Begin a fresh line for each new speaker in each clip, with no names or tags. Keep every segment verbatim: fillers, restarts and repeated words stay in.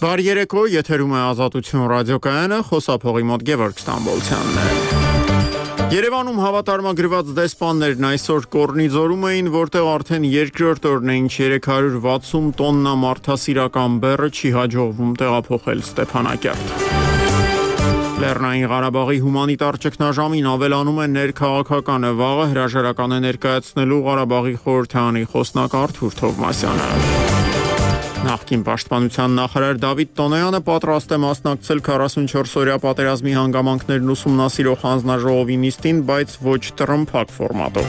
Վար երեկո, եթերում է Ազատություն ռադիոկայանը, խոսափողի մոտ Գևորգ Ստամբոլցյանն է։ Երևանում հավատարմագրված դեսպաններն այսօր Կորնիձորում էին, որտեղ արդեն երկրորդ օրն է, ինչ երեք հարյուր վաթսուն տոննա մարդասիրական բեռը չի հաջողվում տեղափոխել Ստեփանակերտ։ Լեռնային Ղարաբաղի հումանիտար ճգնաժամին ավելանում է ներքաղաքականը, վաղը հրաժարական է ներկայացնելու Ղարաբաղի խորհրդարանի խոսնակ Արթուր Թովմասյանը։ Նախկին պաշտպանության նախարար Դավիթ Տոնոյանը պատրաստ է մասնակցել քառասունչորս-օրյա պատերազմի հանգամանքներն ուսումնասիրող հանձնաժողովի նիստին, բայց ոչ տրմփակ ֆորմատով։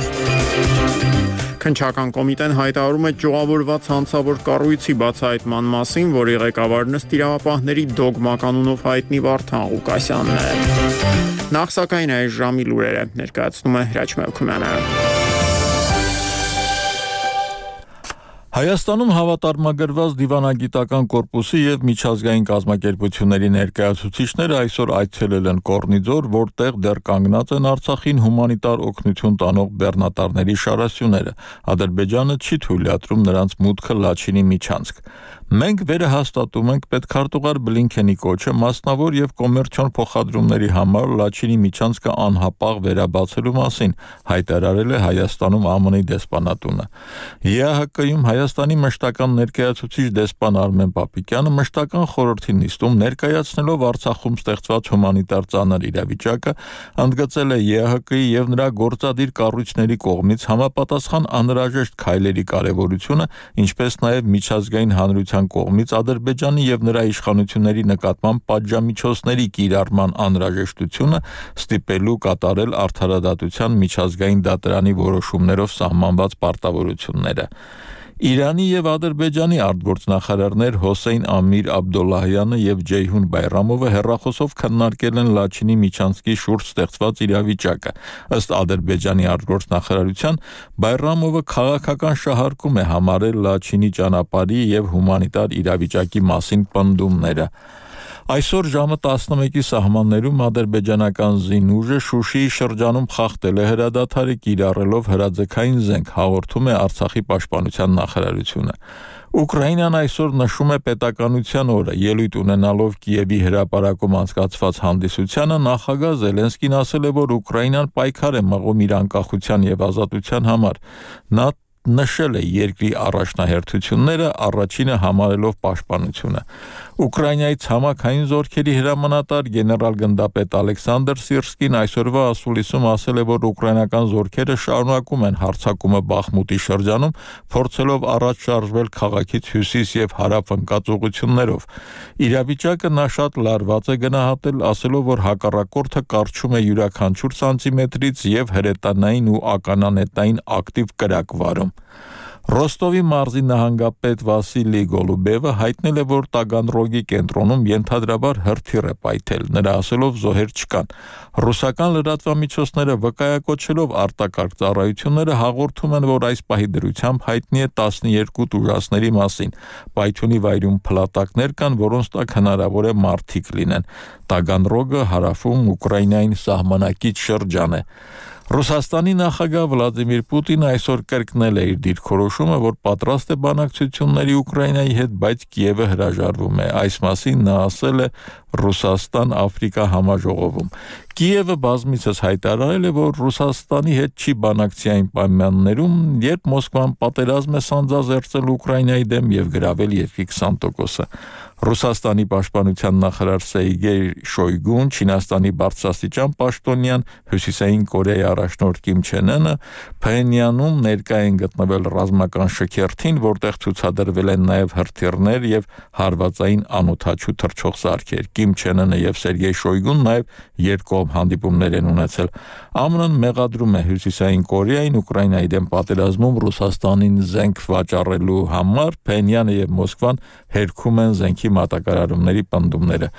Քննչական կոմիտեն հայտարարում է ճյուղավորված հանցավոր կառույցի բացահայտման մասին, որի ղեկավարն ըստ իրավապահների դոգմա կանունով հայտնի Վարդան Ղուկասյանն է։ Նախ սակայն այս ժամի լուրերը ներկայացնում է Հրաչ Մելքումյանը։
Հայաստանում հավատարմագրված դիվանագիտական կորպուսի և միջազգային կազմակերպությունների ներկայացուցիչները այսօր այցելել են Կորնիձոր, որտեղ դեռ կանգնած են Արցախին հումանիտար օգնություն տանող բեռնատարների շարասյուները։ Ադրբեջանը չի թույլատրում նրանց մուտքը Լաչինի միջանցք։ Մենք վերահաստատում ենք պետքարտուղար Բլինքենի կոչը մասնավոր և կոմերցիոն փոխադրումների համար Լաչինի միջանցքը անհապաղ վերաբացելու մասին, հայտարարել է Հայաստանում ԱՄՆ-ի դեսպանատունը։ ԵԱՀԿ-ում Հայաստանի մշտական ներկայացուցիչ դեսպան Արմեն Պապիկյանը մշտական խորհրդի նիստում ներկայացնելով Արցախում ստեղծված հումանիտար ծանր իրավիճակը, ընդգծել է ԵԱՀԿ-ի և նրա գործադիր կառույցների կողմից համապատասխան անհրաժեշտ քայլերի կարևորությունը, ինչպես նաև միջազգային հանրության կողմից Ադրբեջանի և նրա իշխանությունների նկատմամբ պատժամիջոցների կիրառման անհրաժեշտությունը, ստիպելու կատարել արդարադատության միջազգային դատարանի որոշումներով սահմանված պարտավորությունները։ Իրանի և Ադրբեջանի արտգործնախարարներ Հոսեյն Ամիր Աբդոլլահյանը և Ջեյհուն Բայրամովը հեռախոսով քննարկել են Լաչինի միջանցքի շուրջ ստեղծված իրավիճակը։ Ըստ Ադրբեջանի արտգործնախարարության, Բայրամովը քաղաքական շահարկում է համարել Լաչինի ճանապարհի և հումանիտար իրավիճակի մասին պնդումները։ Այսօր ժամը տասնմեկի սահմաններում ադրբեջանական զինուժը Շուշիի շրջանում խախտել է հրադադարը կիրառելով հրաձգային զենք, հաղորդում է Արցախի պաշտպանության նախարարությունը։ Ուկրաինան այսօր նշում է պետականության օրը, ելույթ ունենալով Կիևի հրապարակում անցկացված հանդիսությանը, նախագահ Զելենսկին ասել է, որ Ուկրաինան պայքար է մղում իր անկախության և ազատության համար։ Նա նշել է երկրի առաջնահերթությունները, առաջինը համարելով պաշտպանությունը։ Ուկրաինայի ցամաքային զորքերի հրամանատար գեներալ-գնդապետ Ալեքսանդր Սիրսկին այսօրվա ասուլիսում ասել է, որ ուկրաինական զորքերը շարունակում են հարձակումը Բախմուտի շրջանում, փորձելով առաջ շարժվել քաղաքից հյուսիս և հարավ ընկած ուղղություններով։ Իրավիճակը նա շատ լարված է գնահատել, ասելով, որ հակառակորդը կարճում է յուրաքանչյուր սանտիմետրից և հրետանային ու ականանետային ակտիվ կրակ վարում։ Ռոստովի մարզի նահանգապետ Վասիլի Գոլուբևը հայտնել է, որ Տագանրոգի կենտրոնում ենթադրաբար հրթիռ է պայթել, նրա ասելով զոհեր չկան։ Ռուսական լրատվամիջոցները վկայակոչելով արտակարգ ծառայությունները հաղորդում են, որ այս պահի դրությամբ հայտնի է տասնյոթ ուժասների մասին։ Պայթյունի վայրում փլատակներ կան, որոնց տակ հնարավոր է մարդիկ լինեն։ Տագանրոգը հարավում Ուկրաինային սահմանակից շրջան է։ Ռուսաստանի նախագահ Վլադիմիր Պուտինը այսօր կրկնել է իր դիրքորոշումը, որ պատրաստ է բանակցությունների Ուկրաինայի հետ, բայց Կիևը հրաժարվում է։ Այս մասին նա ասել է Ռուսաստան-Աֆրիկա համաժողովում։ Կիևը բազմիցս հայտարարել է, որ Ռուսաստանի հետ չի բանակցի այն պայմաններում, երբ Մոսկվան պատերազմ է սանձազերծել Ուկրաինայի դեմ և գրավել երկրի քսան տոկոսը։ Ռուսաստանի պաշտպանության նախարար Սերգեյ Շոյգուն, Չինաստանի բարձրաստիճան պաշտոնյան, Հյուսիսային Կորեայի առաջնորդ Կիմ Չեն Ընը Փհենյանում ներկա են գտնվել ռազմական շքերթին, որտեղ ցուցադրվել են նաև հրթիռներ և հարվածային անօդաչու թռչող սարքեր։ Կիմ Չեն Ընը և Սերգեյ Շոյգուն նաև երկկողմ հանդիպումներ են ունեցել։ ԱՄՆ-ն մեղադրում է Հյուսիսային Կորեային Ուկրաինայի դեմ պատերազմում Ռուսաստանին զենք վաճառելու համար, Փհենյանը և Մոսկվան հերքում են զենքի մատակարարումների պնդումները։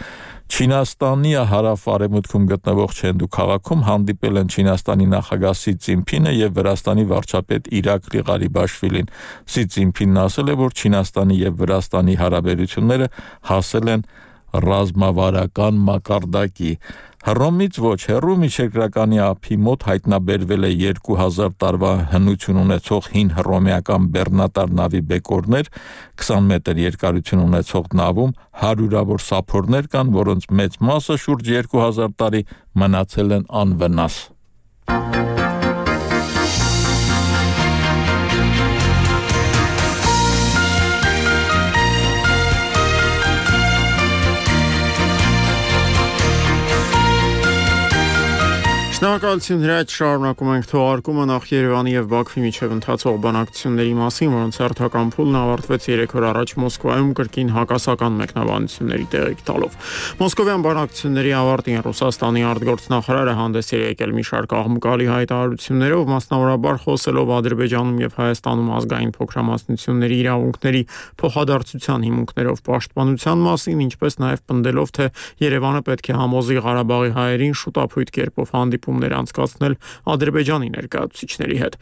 Չինաստանի հարավ-արևմուտքում գտնվող Չենդու քաղաքում հանդիպել են Չինաստանի նախագահ Սի Ցզինփինը և Վրաստանի վարչապետ Իրակլի Ղարիբաշվիլին։ Սի Ցզինփինն ասել է, որ Չինաստանի և Վրաստանի հարաբերությունները հասել են ռազմավարական մակարդակի։ Հռոմից ոչ, հեռու միջերկրականի ափի մոտ հայտնաբերվել է երկու հազար տարվա հնություն ունեցող հին հռոմեական բեռնատար նավի բեկորներ, քսան մետր երկարություն ունեցող նավում հարյուրավոր սափորներ կան, որոնց մեծ մասը շուրջ երկու հազար տարի մնացել են անվնաս։
Շնորհակալություն հրաչ շարունակում ենք թողարկումը նախ Երևանի եւ Բաքվի միջև ընթացող բանակցությունների մասին, որոնց հերթական փուլն ավարտվեց երեք օր առաջ Մոսկվայում կրկին հակասական մեկնաբանությունների տեղիք տալով։ Մոսկովյան բանակցությունների ավարտին Ռուսաստանի արտգործնախարարը հանդես է եկել մի շարք աղմուկալի հայտարարություններով, մասնավորաբար խոսելով Ադրբեջանում եւ Հայաստանում ազգային փոքրամասնությունների իրավունքների փոխադարձության հիմունքներով պաշտպանության մասին, ինչպես նաեւ պնդելով, թե Երևանը պետք է համոզի Ղարաբաղի հայերին շուտապույտ կերպով հանդիպումներ անցկացնել Ադրբեջանի ներկայացուցիչների հետ։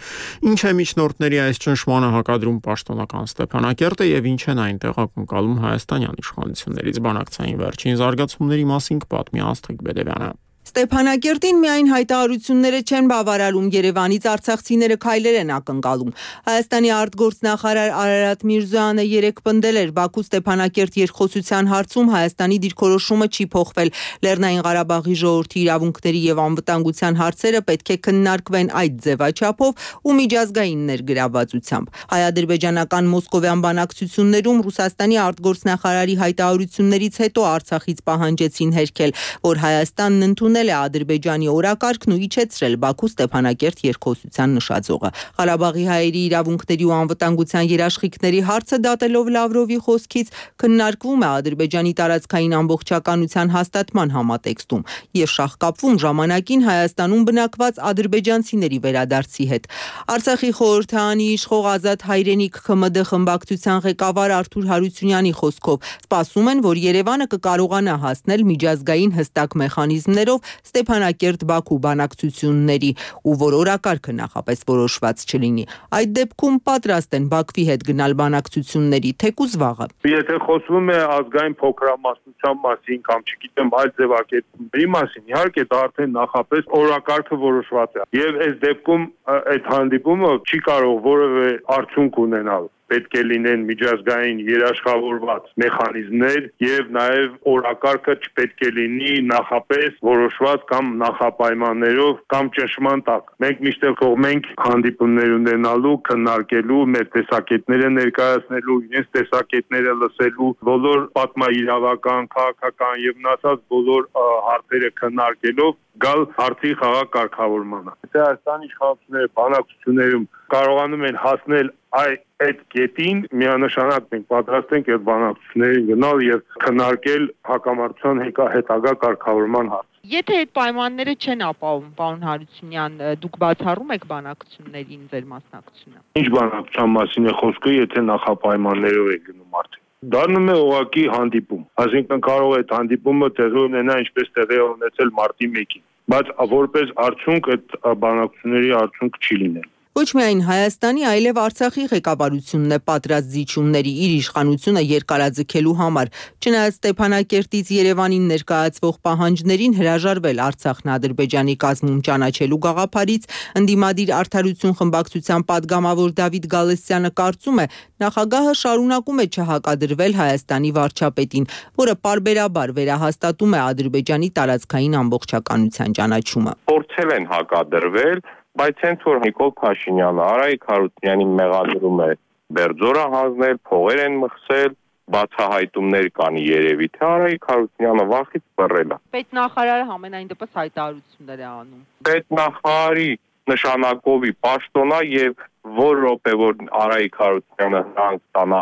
Ինչ է միջնորդների այս ճնշմանը հակադրում պաշտոնական Ստեփանակերտը եւ ինչ են այնտեղ ակնկալում հայաստանյան իշխանություններից բանակցային վերջին զարգացումների մասին կպատմի Աստղիկ Բեդևյանը։
Ստեփանակերտին միայն հայտարարությունները չեն բավարարում, Երևանից արցախցիները քայլեր են ակնկալում։ Հայաստանի արտգործնախարար Արարատ Միրզոյանը երեկ պնդել էր Բաքու Ստեփանակերտ երկխոսության հարցում Հայաստանի դիրքորոշումը չի փոխվել։ Լեռնային Ղարաբաղի ժողովրդի իրավունքների եւ անվտանգության հարցերը պետք է քննարկվեն այդ ձևաչափով ու միջազգային ներգրավվածությամբ։ Հայ-ադրբեջանական մոսկովյան բանակցություններում Ռուսաստանի արտգործնախարարի հայտարարություններից հետո Արցախից պահանջեցին հերքել, որ Հայաստանն ընդունել է Ադրբեջանի օրակարգն ու իջեցրել Բաքու Ստեփանակերտ երկխոսության նշաձողը։ Ղարաբաղի հայերի իրավունքների ու անվտանգության երաշխիքների հարցը դատելով Լավրովի խոսքից քննարկվում է Ադրբեջանի տարածքային ամբողջականության հաստատման համատեքստում եւ շահկապվում ժամանակին Հայաստանում բնակված ադրբեջանցիների վերադարձի հետ։ Արցախի խորհրդարանի իշխող Ազատ հայրենիք ՔՄԴ խմբակցության ղեկավար Արթուր Հարությունյանի խոսքով սպասում են, որ Երևանը կկարողանա հասնել միջազգային հստակ մեխանիզմներով Ստեփանակերտ-Բաքու բանակցությունների ու որ օրակարգը նախապես որոշված չլինի։ Այդ դեպքում պատրաստ են Բաքվի հետ գնալ բանակցությունների, թեկուզ վաղը։
Եթե խոսվում է ազգային փոքրամասնության մասին կամ չգիտեմ այլ ձևակերպումների մասին, իհարկե դա արդեն նախապես օրակարգը որոշված է։ Եվ այս դեպքում այդ հանդիպումը չի կարող որևէ արդյունք ունենալ։ Պետք է լինեն միջազգային երաշխավորված մեխանիզմներ եւ նաեւ օրակարգը չպետք է լինի նախապես որոշված կամ նախապայմաններով կամ ճնշման տակ։ Մենք միշտ կողմ ենք հանդիպումներ ունենալու, քննարկելու, մեր տեսակետները ներկայացնելու, իրենց տեսակետները լսելու, բոլոր պատմաիրավական, քաղաքական եւ մնացած բոլոր հարցերը քննարկելով գալ հարցի խաղաղ կարգավորմանը։ Եթե Հայաստանի իշխանությունները բանակցություններում կարողանում են հասնել այդ կետին, միանշանակ մենք պատրաստ ենք այդ բանակցություններին գնալ եւ քննարկել հակամարտության հետագա կարգավորման հարց։
Եթե այդ պայմանները չեն ապահովում, պարոն Հարությունյան, դուք բացառում եք բանակցություններին ձեր մասնակցությունը։
Ինչ բանակցության մասին է խոսքը, եթե նախապայմաններով է գնում արդեն։ Դառնում է ուղղակի հանդիպում, այսինքն կարող է այդ հանդիպումը տեղի ունենա ինչպես տեղի ունեցել մարտի մեկին, բայց որպես արդյունք այդ բանակցությունների արդյունք չի լինել։
Ոչ միայն Հայաստանի, այլև Արցախի ղեկավարությունն է պատրաստ զիջումների իր իշխանությունը երկարաձգելու համար, չնայած Ստեփանակերտից Երևանին ներկայացվող պահանջներին հրաժարվել Արցախն Ադրբեջանի կազմում ճանաչելու գաղափարից, ընդդիմադիր Արդարություն խմբակցության падգամավոր Դավիթ Գալստյանը կարծում է, նախագահը շարունակում է չհակադրվել Հայաստանի վարչապետին, որը պարբերաբար վերահաստատում է Ադրբեջանի տարածքային ամբողջականության ճանաչումը։
Փորձել են հակադրվել, բայց հենց որ Նիկոլ Փաշինյանը Արայիկ Հարությունյանի մեղադրում է Բերձորը հանձնել, փողեր են մխսել, բացահայտումներ կան երևի, թե Արայիկ Հարությունյանը վախից բռել է։
Պետնախարարը համենայն դեպս հայտարարություններ է անում։
Պետնախարարի նշանակովի պաշտոնա եւ որ րոպե որ Արայիկ Հարությունյանը հրանք ստանա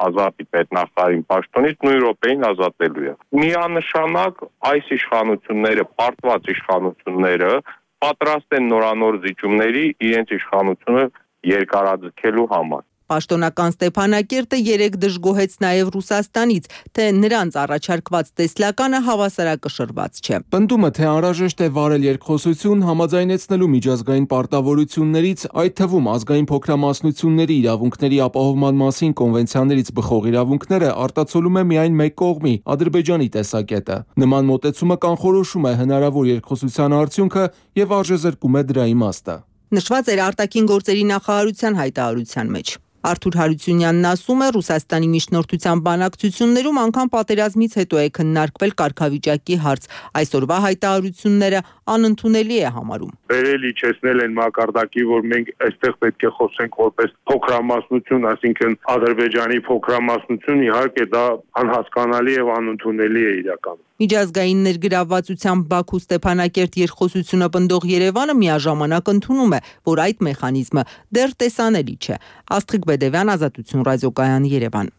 ազատի պետնախարարին պաշտոնից նույն րոպեին ազատելու է։ Միանշանակ այս իշխանությունները, պարտված իշխանությունները պատրաստ են նորանոր զիջումների իրենց իշխանությունը երկարաձգելու համար։
Պաշտոնական Ստեփանակերտը երեկ դժգոհեց նաև Ռուսաստանից, թե նրանց առաջարկված տեսլականը հավասարակշռված չէ։
Պնդումը, թե անհրաժեշտ է վարել երկխոսություն, համաձայնեցնելու միջազգային պարտավորություններից, այդ թվում ազգային փոքրամասնությունների իրավունքների ապահովման մասին կոնվենցիաներից բխող իրավունքները, արտացոլում է միայն մեկ կողմի՝ Ադրբեջանի տեսակետը։ Նման մոտեցումը կանխորոշում է հնարավոր երկխոսության արդյունքը եւ արժեզրկում է դրա իմաստը։
Նշված էր արտաքին գործերի նախարարության հայտարարության մեջ։ Արթուր Հարությունյանն ասում է, Ռուսաստանի միջնորդության բանակցություններում անգամ պատերազմից հետո է քննարկվել կարգավիճակի հարց։ Այսօրվա հայտարարությունները անընդունելի է համարում։
Վերել իջեցնել են մակարդակի, որ մենք այստեղ պետք է խոսենք որպես փոքրամասնություն, այսինքն Ադրբեջանի փոքրամասնություն, իհարկե դա անհասկանալի եւ անընդունելի է իրականում։
Միջազգային ներգրավվածությամբ Բաքու Ստեփանակերտ երկխոսությունը պնդող Երևանը միաժամանակ ընդունում է, որ այդ մեխանիզմը դեռ տեսանելի չէ։ Աստղիկ Բեդևյան, Ազատություն ռադիոկայան, Երևան։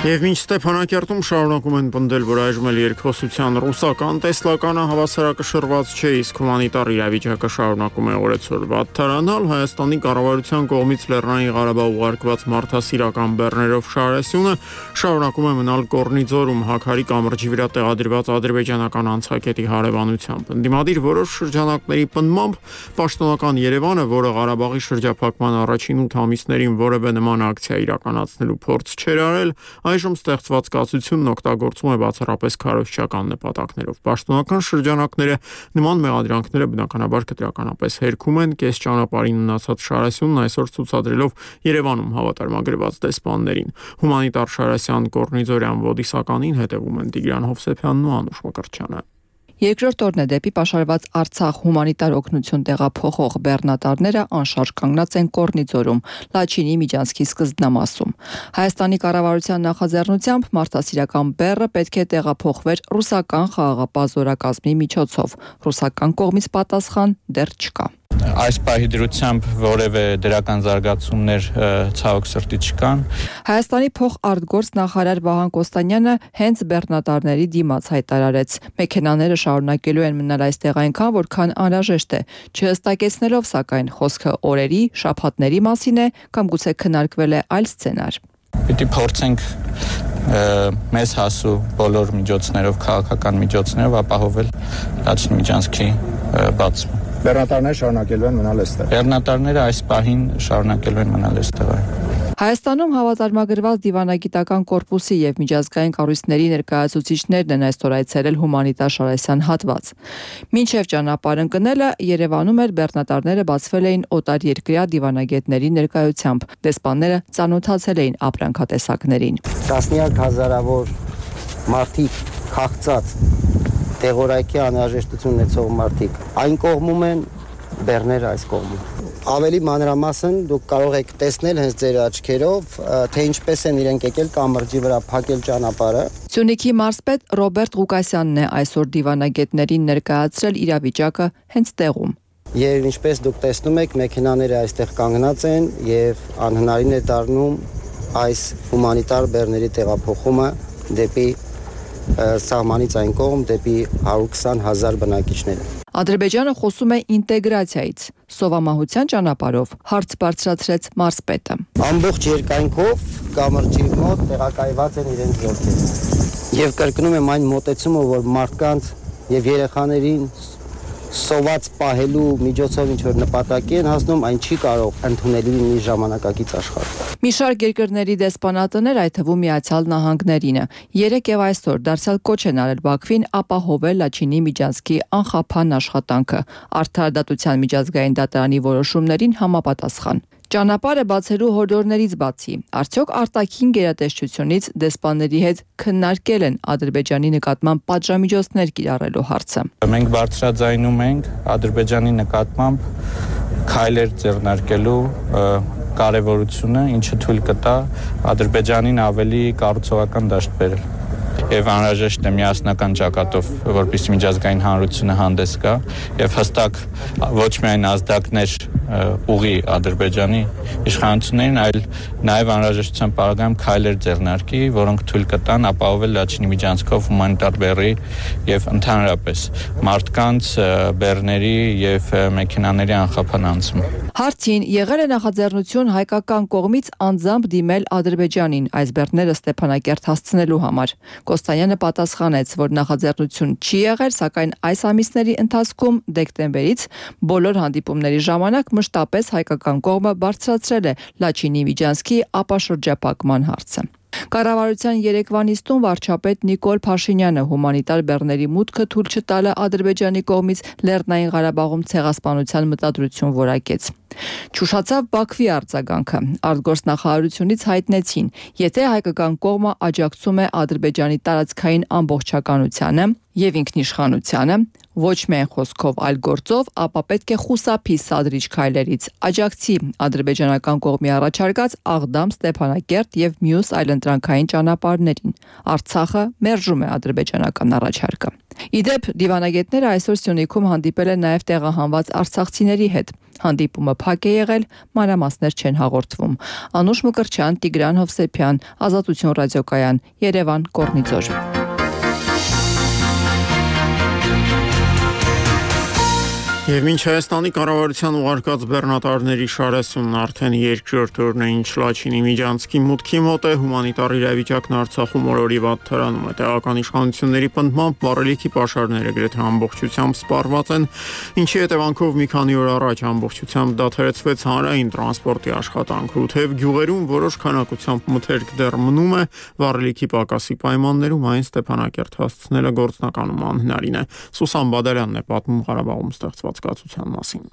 Եվ մինչ Ստեփանակերտում շարունակում են պնդել, որ այժմ էլ երկխոսության ռուսական տեսլականը հավասարակշռված չէ, իսկ հումանիտար իրավիճակը շարունակում է օրեցօր վատթարանալ, Հայաստանի կառավարության կողմից Լեռնային Ղարաբաղ ուղարկված մարդասիրական բեռներով շարասյունը շարունակում է մնալ Կորնիձորում Հաքարի կամրջի վրա տեղադրված ադրբեջանական անցակետի հարևանությամբ։ Ընդդիմադիր որոշ շրջանակների պնդմամբ պաշտոնական Երևանը, որը Ղարաբաղի շրջափակման առաջին ութ ամիսներին որևէ նման ակցիա իրականացնելու փորձ չէր արել, այժմ ստեղծված կացությունն օգտագործում է բացառապես քարոզչական նպատակներով։ Պաշտոնական շրջանակները նման մեղադրանքները բնականաբար կտրականապես հերքում են, կես ճանապարհին մնացած շարասյունն այսօր ցուցադրելով Երևանում հավատարմագրված դեսպաններին։ Հումանիտար Շարասյան Կորնիձորյան ոդիսականին հետևում են Տիգրան Հովսեփյանն ու Անուշ Մկրտչյանը։
Երկրորդ օրն է դեպի պաշարված Արցախ հումանիտար օգնություն տեղափոխող բեռնատարները անշարժ կանգնած են Կորնիձորում, Լաչինի միջանցքի սկզբնամասում։ Հայաստանի կառավարության նախաձեռնությամբ մարդասիրական բեռը պետք է տեղափոխվեր ռուսական խաղաղապահ զորակազմի միջոցով։ Ռուսական կողմից պատասխան դեռ չկա։
Այս պահի դրությամբ որևէ դրական զարգացումներ ցավոք սրտի չկան։
Հայաստանի փոխարտգործ նախարար Վահան Կոստանյանը հենց բեռնատարների դիմաց հայտարարեց. մեքենաները շարունակելու են մնալ այստեղ այնքան, որքան անհրաժեշտ է, չհստակեցնելով սակայն խոսքը օրերի, շաբաթների մասին է կամ գուցե քննարկվել է այլ սցենար։
Պիտի փորձենք մեզ հասու բոլոր միջոցներով, քաղաքական միջոցներով ապահովել Լաչինի միջանցքի բացումը։
Բեռնատարները շարունակելու են մնալ այստեղ։
Բեռնատարները այս պահին շարունակելու են մնալ այստեղ։
Հայաստանում հավատարմագրված դիվանագիտական կորպուսի եւ միջազգային կառույցների ներկայացուցիչներն են այսօր այցելել հումանիտար Շարասյան հատված։ Մինչև ճանապարհ ընկնելը Երևանում էր բեռնատարները բացվել էին օտարերկրյա դիվանագետների ներկայությամբ։ Դեսպանները ծանոթացել էին ապրանքատեսակներին։
Տասնյակ հազարավոր մարդիկ քաղցած տեղորայքի անհրաժեշտություն ունեցող մարդիկ այն կողմում են, բեռները այս կողմում։ Ավելի մանրամասն դուք կարող եք տեսնել հենց ձեր աչքերով, թե ինչպես են իրենք եկել կամրջի վրա փակել ճանապարհը։
Սյունիքի մարզպետ Ռոբերտ Ղուկասյանն է այսօր դիվանագետներին ներկայացրել իրավիճակը հենց տեղում։
Եվ ինչպես դուք տեսնում եք, մեքենաները այստեղ կանգնած են եւ անհնարին է դառնում այս հումանիտար բեռների տեղափոխումը դեպի սահմանից այն կողմ դեպի հարյուր քսան հազար բնակիչները։
Ադրբեջանը խոսում է ինտեգրացիայից, սովամահության ճանապարհով, հարց բարձրացրեց մարզպետը։
Ամբողջ երկայնքով կամրջի մոտ տեղակայված են իրենց զորքերը։ Եվ կրկնում եմ այն մոտեցումը, որ մարդկանց եւ երեխաներին սոված պահելու միջոցով ինչ որ նպատակի են հասնում, այն չի կարող ընդունելի լինի ժամանակակից աշխարհում։
Մի շարք երկրների դեսպանատներ, այդ թվում Միացյալ Նահանգներինը, երեկ եւ այսօր դարձյալ կոչ են արել Բաքվին ապահովել Լաչինի միջանցքի անխափան աշխատանքը, արդարադատության միջազգային դատարանի որոշումներին համապատասխան։ Ճանապարհը բացելու հորդորներից բացի, արդյոք արտաքին գերատեսչությունից դեսպանների հետ քննարկել են Ադրբեջանի նկատմամբ պատժամիջոցներ կիրառելու հարցը։
Մենք բարձրաձայնում ենք Ադրբեջանի նկատմամբ քայլեր ձեռնարկելու կարևորությունը, ինչը թույլ կտա Ադրբեջանին ավելի կառուցողական դաշտ բերել։ եւ անհրաժեշտ է միասնական ճակատով, որպեսզի միջազգային հանրությունը հանդես գա եւ հստակ ոչ միայն ազդակներ ուղի Ադրբեջանի իշխանություններին, այլ նաեւ անհրաժեշտության պարագայում քայլեր ձեռնարկի, որոնք թույլ կտան ապահովել Լաչինի միջանցքով հումանիտար բեռի եւ ընդհանրապես մարդկանց, բեռների եւ մեքենաների անխափան անցում։
Հարցին եղել է նախաձեռնություն հայկական կողմից անձամբ դիմել Ադրբեջանին այս բեռները Ստեփանակերտ հասցնելու համար։ Կոստանյանը պատասխանեց, որ նախաձեռնություն չի եղել, սակայն այս ամիսների ընթացքում դեկտեմբերից բոլոր հանդիպումների ժամանակ մշտապես հայկական կողմը բարձրացրել է Լաչինի միջանցքի ապաշրջապակման հարցը։ Կառավարության երեկվա նիստում վարչապետ Նիկոլ Փաշինյանը հումանիտար բեռների մուտքը թույլ չտալը Ադրբեջանի կողմից Լեռնային Ղարաբաղում ցեղասպանության մտադրություն որակեց։ Չուշացավ Բաքվի արձագանքը։ Արտգործնախարարությունից հայտնեցին, եթե հայկական կողմը աջակցում է Ադրբեջանի տարածքային ամբողջականությանը եւ ինքնիշխանությանը, ոչ միայն խոսքով, այլ գործով, ապա պետք է խուսափի սադրիչ քայլերից, աջակցի ադրբեջանական կողմի առաջարկած Աղդամ, Ստեփանակերտ եւ մյուս այլընտրանքային ճանապարհներին։ Արցախը մերժում է ադրբեջանական առաջարկը։ Իդեպ դիվանագետները այսօր Սյունիքում հանդիպել են նաև տեղահանված արցախցիների հետ։ Հանդիպումը փակ է եղել, մանրամասներ չեն հաղորդվում։ Անուշ Մկրտչյան, Տիգրան Հովսեփյան, Ազատություն ռադիոկայան, Երևան, Կորնիձոր։
Եվ մինչ Հայաստանի կառավարության ուղարկած բեռնատարների շարասունն արդեն երկրորդ օրն է, ինչ Լաչինի միջանցքի մուտքի մոտ է, հումանիտար իրավիճակն Արցախում օրորի վատ թրանում է։ Տեղական իշխանությունների պնդմամբ վառելիքի պաշարները գրեթե ամբողջությամբ սպառված են, ինչի հետևանքով մի քանի օր առաջ ամբողջությամբ դադարեցվեց հանրային տրանսպորտի աշխատանքը, ու թեև գյուղերում որոշ քանակությամբ մթերք դեռ մնում է, վառելիքի պակասի պայմաններում այն Ստեփանակերտ հասցնելը գործնականում անհնարին է։ Սուսան Բադալյանն է պատմում Ղարաբաղում ստեղծված կացության մասին։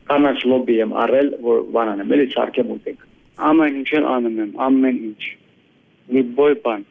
Կանաչ լոբի եմ առել, որ բանան եմ, էլի սարքեմ ուտենք։ Ամեն ինչ անում եմ, ամեն ինչ։ Մի բոյ բան։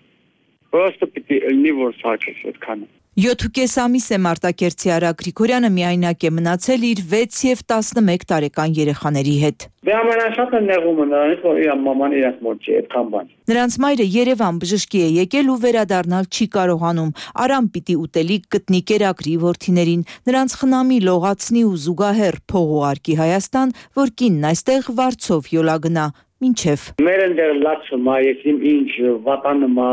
Պրոստը պիտի ելնի, որ սարքես այդքանը։
յոթ ամիս է Մարտակերտի Արա Գրիգորյանը միայնակ է մնացել իր վեց եւ տասնմեկ տարեկան երեխաների հետ։
Դե ամենաշատը նեղումը նրանից, որ իր մաման իրենց մոտ չի այդքան բան։
Նրանց մայրը Երևան բժշկի է եկել ու վերադառնալ չի կարողանում։ Արամ պիտի ուտելիք գտնի կերակրի որդիներին, նրանց խնամի, լողացնի ու զուգահեռ փող ուղարկի Հայաստան, որ կինն այստեղ վարձով յոլա գնա։ Մինչև
մեր ընդեր լացում է, եսիմ ինչ վատանում է։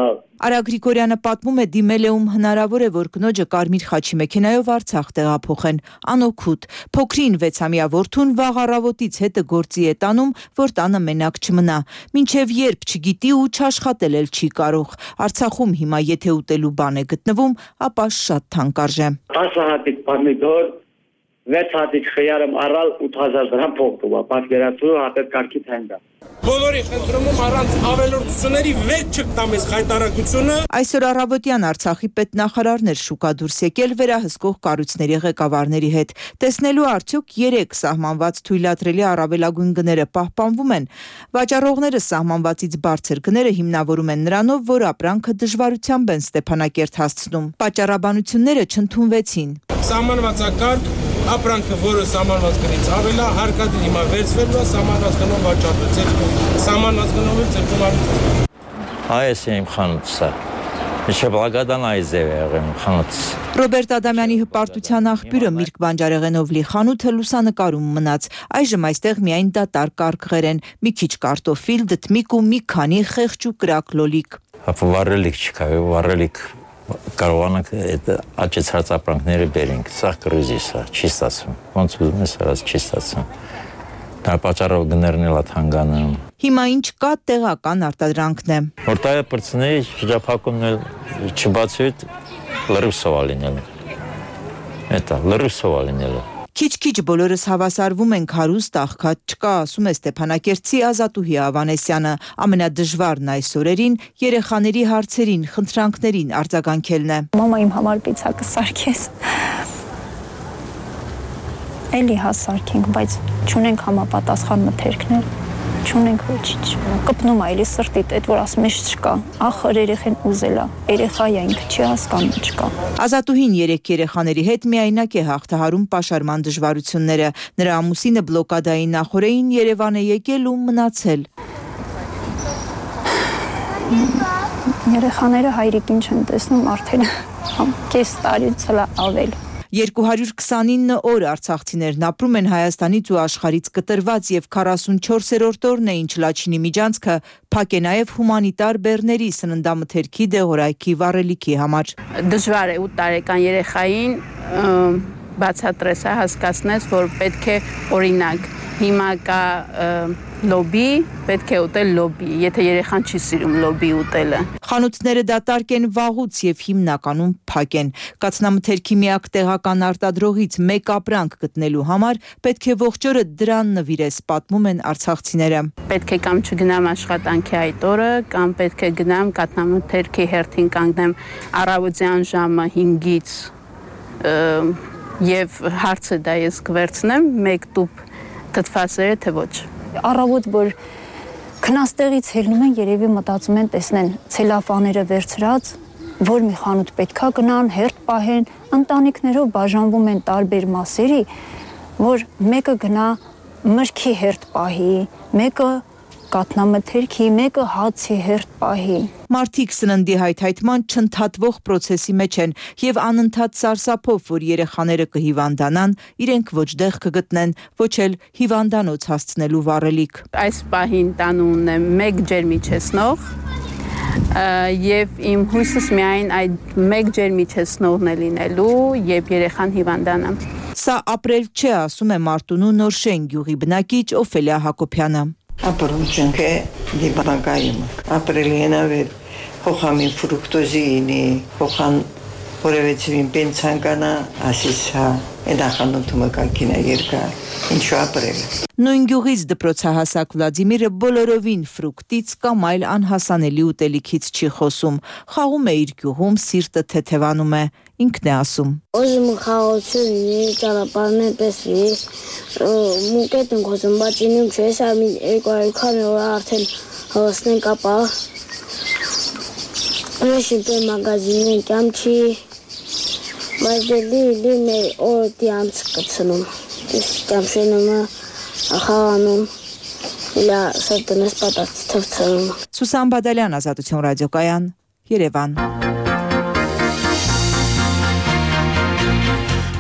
Արա Գրիգորյանը պատմում է դիմել է ում հնարավոր է, որ կնոջը կարմիր խաչի մեքենայով Արցախ տեղափոխեն, անօգուտ։ Փոքրին վեցամյա որդուն վաղ առավոտից հետը գործի է տանում, որ տանը մենակ չմնա։ Մինչև երբ չգիտի ու չաշխատել էլ չի կարող։ Արցախում հիմա եթե ուտելու բան է գտնվում, ապա շատ թանկարժե։
տասը հատիկ պամիդոր, վեց հատիկ խյարım առալ ութ հազար դրամ փող տուա, պատկերացրու հատետ կարգի թենգա։
Բոլորի խնդրում առանց ավելորդությունների վեճ չկտամ այս հայտարարությունը։
Այսօր առավոտյան Արցախի պետնախարարներ շուկա դուրս եկել վերահսկող կառույցների ղեկավարների հետ, տեսնելու արդյոք երեք սահմանված թույլատրելի առավելագույն գները պահպանվում են։ Վաճառողները սահմանվածից բարձր գները հիմնավորում են նրանով, որ ապրանքը դժվարությամբ են Ստեփանակերտ հասցնում։ Պատճառաբանությունները չընդունվեցին։
Սահմանվածակարգ ապրանքը, որը սահմանված գնից ավելա, հարկադիր հիմա վերցվելու է, սահմանված գնով վաճառվեց, սահմանված գնով էլ ցերկումարություն։
Այս է իմ խանութը։ Ինչը բլագադան այս է եղել իմ խանութը։
Ռոբերտ Ադամյանի հպարտության աղբյուրը Միրգ Բանջարեղենովլի խանութը լուսանկարում մնաց։ Այժմ այստեղ միայն դատարկ կարգղեր են, մի քիչ կարտոֆիլ, դդմիկ ու մի քանի խեղճ ու կրակ լոլիկ։
Ապա վառելիք չկա, վառելիք կարողանանք այդ աճեցրած ապրանքները բերենք, սա կրուզի սա, չի ստացվում, ոնց ուզում ես արած չի ստացվում, դա պատճառով գներն էլ աթանգանում։
Հիմա ինչ կա տեղական արտադրանքն է։
Որ տայը պրծնեի, շրջափակումն էլ չբացի հետ լրիվ սովա լինել, էտա, լրիվ սովա լինել։
Քիչ-քիչ բոլորս հավասարվում ենք հարուստ աղքատ չկա, ասում է Ստեփանակերտցի Ազատուհի Ավանեսյանը, ամենադժվարն այս օրերին երեխաների հարցերին, խնդրանքներին արձագանքելն է։
Մամա իմ համար պիցա կսարքես։ Էլի հա սարքենք, բայց չունենք համապատասխան մթերքներ, չունենք ոչինչ։ Կպնում է էլի սրտիդ, այդ որ ասում ես չկա, ախր երեխեն ուզելա, երեխա է ինքը չի հասկանում չկա։
Ազատուհին երեք երեխաների հետ միայնակ է հաղթահարում պաշարման դժվարությունները։ Նրա ամուսինը բլոկադայի նախօրեին Երևան է եկել ու մնացել։
Երեխաները հայրիկին չեն տեսնում արդեն կես տարուց ավել։
երկու հարյուր քսանինը օր արցախցիներն ապրում են Հայաստանից ու աշխարհից կտրված եւ քառասունչորսերորդ օրն է ինչ Լաչինի միջանցքը փակ է նաեւ հումանիտար բեռների սննդամթերքի դեղորայքի վառելիքի համար։
Դժվար է ութ տարեկան երեխային բացատրես հասկացնես, որ պետք է օրինակ հիմա կա լոբի, պետք է ուտել լոբի, եթե երեխան չի սիրում լոբի ուտելը։
Խանութները դատարկ են վաղուց եւ հիմնականում փակ են։ Կաթնամթերքի միակ տեղական արտադրողից մեկ ապրանք գտնելու համար պետք է ողջ օրը դրան նվիրես, պատմում են արցախցիները։
Պետք է կամ չգնամ աշխատանքի այդ օրը, կամ պետք է գնամ կաթնամթերքի հերթին կանգնեմ առավոտյան ժամը հինգից եւ հարցը դա ես կվերցնեմ մեկ տուփ թթվասերը թե ոչ։
Առավոտ որ քնաստեղից ելնում են, երևի մտածում են տեսնեն ցելոֆաները վերցրած, որ մի խանութ պետքա գնան, հերթ պահեն, ընտանիքներով բաժանվում են տարբեր մասերի, որ մեկը գնա մրգի հերթ պահի, մեկը կաթնամթերքի, մեկը հացի հերթ պահի։
Մարդիկ սննդի հայթայթման չընդհատվող process-ի մեջ են եւ անընդհատ սարսափով, որ երեխաները կհիվանդանան, իրենք ոչ դեղ կգտնեն, ոչ էլ հիվանդանոց հասցնելու վառելիք։
Այս պահին տանը ունեմ մեկ ջերմիջեցնող եւ իմ հույսս միայն այդ մեկ ջերմիջեցնողն է լինելու, երբ երեխան հիվանդանա։
Սա ապրել չէ, ասում է Մարտունու Նորշեն գյուղի բնակիչ Օֆելիա Հակոբյանը։
Ապրում է դիբանկայում, ապրելի են ավեր, հոխամին ֆրուկտոզինի, հոխան որևէցին պենցանկանա, ասիսա, էդախանութումը կակինա երկա, ինչու ապրել։
Նույն գյուղից դպրոցահասակ Վլադիմիրը բոլորովին ֆրուկտից կամ այլ անհասանելի ուտելիքից չի խոսում, խաղում է իր գյուղում, սիրտը թեթևանում է, ինքն է ասում։
Ուզում խաղացունի, ճանապարհներ տեսի, մուկետ ենք ուզում, բայց ինում չես ամին երկու այքան որ արդեն հասնենք ապա Ուրիշին պե մագազին ենք ամչի, բայց դելի լի մեր օրդի ամց կծնում, ես կամշենում է խաղանում, իլա սրտնես պատած թվցնում։
Սուսան Բադալյան, Ազատություն ռադիոկայան, Երևան։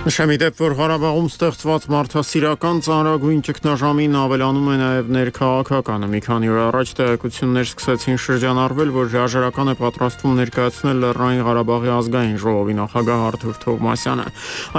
Նշեմ իդեպ, որ Ղարաբաղում ստեղծված մարդասիրական ծանրագույն ճգնաժամին ավելանում է նաև ներքաղաքականը։ Մի քանի օր առաջ տեղեկություններ սկսեցին շրջանառվել, որ հրաժարական է պատրաստվում ներկայացնել Լեռնային Ղարաբաղի ազգային ժողովի նախագահ Արթուր Թովմասյանը։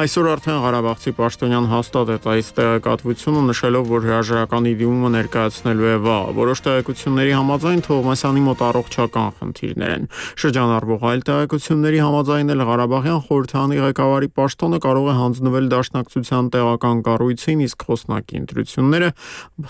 Այսօր արդեն ղարաբաղցի պաշտոնյան հաստատեց այս տեղեկատվությունը, նշելով, որ հրաժարականի դիմումը ներկայացնելու է վաղ։ Որոշ տեղեկությունների համաձայն Թովմասյանի մոտ առողջական խնդիրներ են։ Շրջանառվող այլ տեղեկությունների համաձայն էլ Ղարաբաղյան խորհրդանի ղեկավարի պաշտոնը կարող է հանձնվել դաշնակցության տեղական կառույցին, իսկ խոսնակի ընտրությունները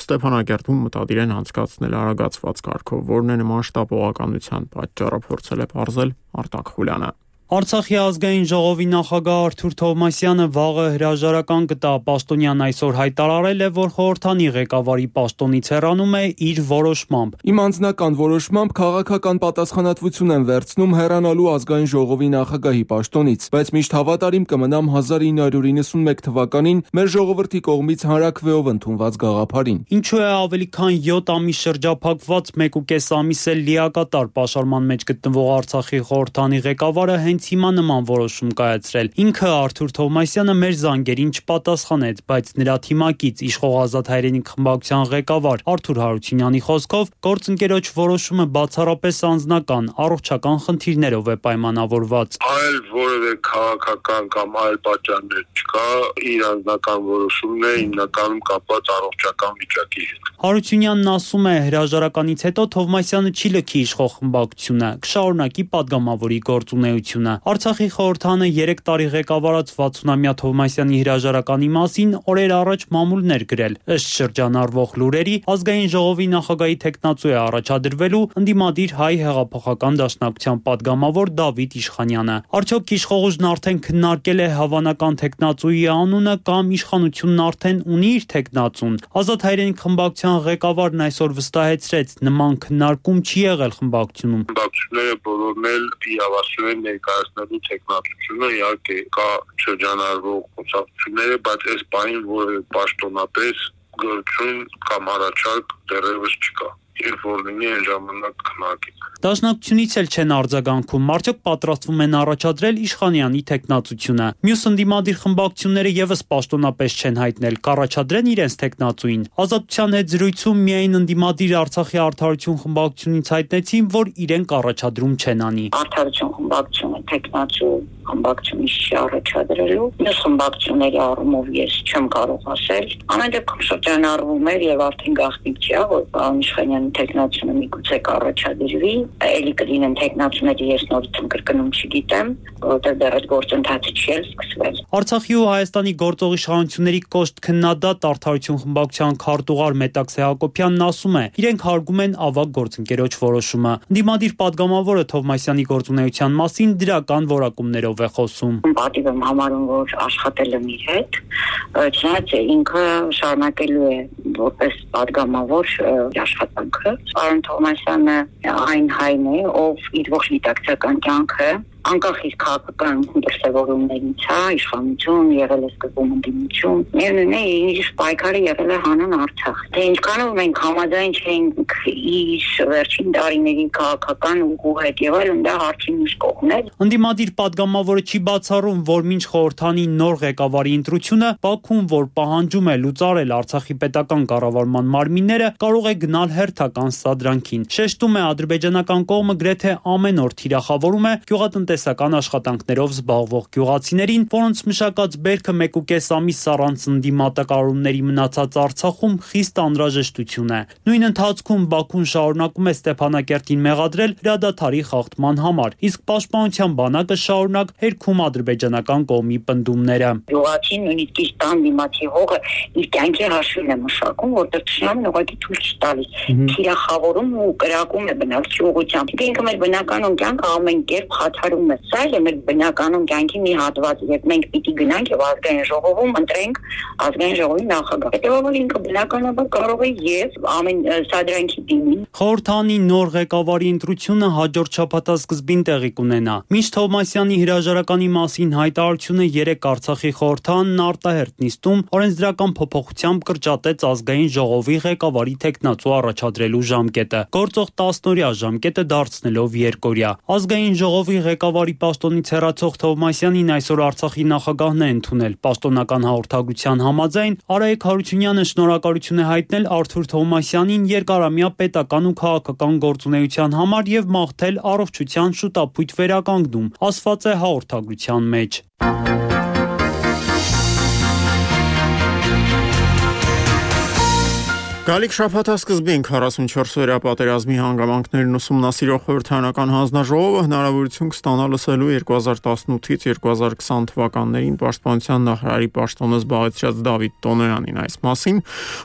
Ստեփանակերտում մտադիր են անցկացնել արագացված կարգով, որն է նման շտապողականության պատճառը, փորձել է պարզել Արտակ Խուլյանը։
Արցախի ազգային ժողովի նախագահ Արթուր Թովմասյանը վաղը հրաժարական կտա։ Պաշտոնյան այսօր հայտարարել է, որ խորհրդանի ղեկավարի պաշտոնից հեռանում է իր որոշմամբ։
Իմ անձնական որոշմամբ քաղաքական պատասխանատվություն եմ վերցնում հեռանալու ազգային ժողովի նախագահի պաշտոնից, բայց միշտ հավատարիմ կմնամ հազար ինը հարյուր իննսունմեկ թվականին մեր ժողովրդի կողմից հանրաքվեով ընդունված գաղափարին։
Ինչու է ավելի քան յոթ ամիս շրջափակված մեկ ու կես ամիս էլ լիակատար պաշարման մեջ գտնվող Արցախի խորհրդանի ղեկավարը հենց հիմա նման որոշում կայացրել։ Ինքը Արթուր Թովմասյանը մեր զանգերին չպատասխանեց, բայց նրա թիմակից իշխող Ազատ հայրենիք խմբակցության ղեկավար Արթուր Հարությունյանի խոսքով գործընկերոջ որոշումը բացառապես անձնական, առողջական խնդիրներով է պայմանավորված։
Այլ որևէ քաղաքական կամ այլ պատճառներ չկա, իր անձնական որոշումն է հիմնականում կապված առողջական վիճակի հետ։
Հարությունյանն ասում է, հրաժարականից հետո Թովմասյանը չի լքի իշխող խմբակցությունը, կշարունակի падգամավորի գործունեությունը։ Արցախի խորհրդանը երեք տարի ղեկավարած վաթսունամյա Թովմասյանի հրաժարականի մասին օրեր առաջ մամուլներ գրել։ Ըստ շրջանառվող լուրերի, ազգային ժողովի նախագահի թեկնածու է առաջադրվելու ընդդիմադիր հայ հեղափոխական դաշնակցության падգամավոր Դավիթ Իշխանյանը։ Արդյոք իշխողուժն արդեն քննարկել է հավանական թեկնածուի անունը կամ իշխանությունն արդեն ունի իր թեկնածուն։ Ազատ հայրենիք խմբակցության ղեկավարն այսօր վստահեցրեց, նման քննարկում չի եղել խմբակցությունում։
Խմբակցությունները բոլորն էլ իրավասու են ներկայացնելու տեխնոլոգիությունը, իհարկե կա շրջանառվող խոսակցությունները, բայց այս բանին որևէ պաշտոնապես գործուն կամ առաջարկ դեռևս չկա։ երբ որ լինի այն ժամանակ քննարկենք։
Դաշնակցությունից էլ չեն արձագանքում, արդյոք պատրաստվում են առաջադրել Իշխանյանի թեկնածությունը։ Մյուս ընդդիմադիր խմբակցությունները եւս պաշտոնապես չեն հայտնել, կառաջադրեն իրենց թեկնածուին։ Ազատության հետ զրույցում միայն ընդդիմադիր Արցախի արդարություն խմբակցությունից հայտնեցին, որ իրենք առաջադրում չեն անի։
Արդարություն խմբակցությունը թեկնածու խմբակցությունից չի առաջադրելու։ Մյուս խմբակցությունների առումով ես չեմ կարող ասել։ Ամեն դեպքում շրջանառվում էր եւ արդեն գաղտնիք չի, որ պարոն Իշխանյանի թեկնածությունը միգուցե կառաջադրվի, էլի կլինեն թեկնածուները, ես նորից կրկնում չգիտեմ, որովհետեւ դեռ այդ գործընթացը չի էլ սկսվել։
Արցախի ու Հայաստանի գործող իշխանությունների կոշտ քննադատ Արդարություն խմբակցության քարտուղար Մետաքսե Հակոբյանն ասում է, իրենք հարգում են ավագ գործընկերոջ որոշումը։ Ընդդիմադիր падգամավորը Թովմասյանի գործունեության մասին դրական որակումներով է խոսում։
Պատիվ եմ համարում, որ աշխատել եմ իր հետ, չնայած ինքը շարունակելու է որպես падգամավոր աշխատանքը։ Պարոն Թովմասյանը այն հայն է, ով իր ողջ գիտակցական կյանքը անկախ իր քաղաքական դրսևորումներից, հա, իշխանություն, եղել է սկզբում ընդդիմություն, միևնույն է, իր պայքարը եղել է հանուն Արցախ։ Թե ինչքանով մենք համաձայն չենք իր վերջին տարիների քաղաքական ուղու հետ եւ այլն, դա հարցի մյուս կողմն է։
Ընդդիմադիր падգամավորը չի բացառում, որ մինչ խորհրդանի նոր ղեկավարի ընտրությունը Բաքուն, որ պահանջում է լուծարել Արցախի պետական կառավարման մարմինները, կարող է գնալ հերթական սադրանքին։ Շեշտում է, ադրբեջանական կողմը գրեթե ամեն օր թիրախավորում է գյուղատնտեսական աշխատանքներով զբաղվող գյուղացիներին, որոնց մշակած բերքը մեկ ու կես ամիս առանց ընդդիմատակարարումների մնացած Արցախում խիստ անհրաժեշտություն է։ Նույն ընթացքում Բաքուն շարունակում է Ստեփանակերտին մեղադրել հրադադարի խախտման համար, իսկ պաշտպանության բանակը շարունակ հերքում ադրբեջանական կողմի պնդումները։
Գյուղացին նույնիսկ իր տան դիմացի հողը իր կյանքի հաշվին է մշակում, որտեղ ճշնամին ուղղակի թույլ չի տալիս։ Թիրախավորում ու կրակում է բնակչի ուղղությամբ։ Ինքը մեր բնականon կյանքը ամեն կերպ խաթարում է։ Սա էլ է մեր բնականon կյանքի մի հատված, երբ մենք պիտի գնանք եւ ազգային ժողովում ընտրենք ազգային ժողովի նախագահ։ Հետեւաբար ինքը բնականաբար կարող է եւ ամեն սադրանքի դիմի։
Խորհրդանի նոր ղեկավարի ընտրությունը հաջորդ շաբաթ սկզբին տեղի կունենա։ Մինչ Թովմասյանի հրաժարականի մասին հայտարարությունը երեք Արցախի խորհրդանն արտահերտ նիստում օրենսդրական փոփոխությամբ կրճատեց ազգային ժողովի ղեկավարի թեկնածու առաջադրելու ժամկետը, գործող տասնօրյա ժամկետը դարձնելով երկօրյա։ Ազգային ժողովի ղեկավարի պաշտոնից հեռացող Թովմասյանին այսօր Արցախի նախագահն է ընդունել։ Պաշտոնական հաղորդագրության համաձայն Արայիկ Հարությունյանը շնորհակալություն է հայտնել Արթուր Թովմասյանին երկարամյա պետական ու քաղաքական գործունեության համար եւ մաղթել առողջության շուտապույտ վերականգնում, ասված է հաղորդագրության մեջ։
Գալիք շաբաթասկզբին քառասունչորս-օրյա պատերազմի հանգամանքներն ուսումնասիրող խորհրդարանական հանձնաժողովը հնարավորություն կստանա լսելու երկու հազար տասնութից երկու հազար քսան թվականներին պաշտպանության նախարարի պաշտոնը զբաղեցրած Դավիթ Տոնոյանին։ Այս մասին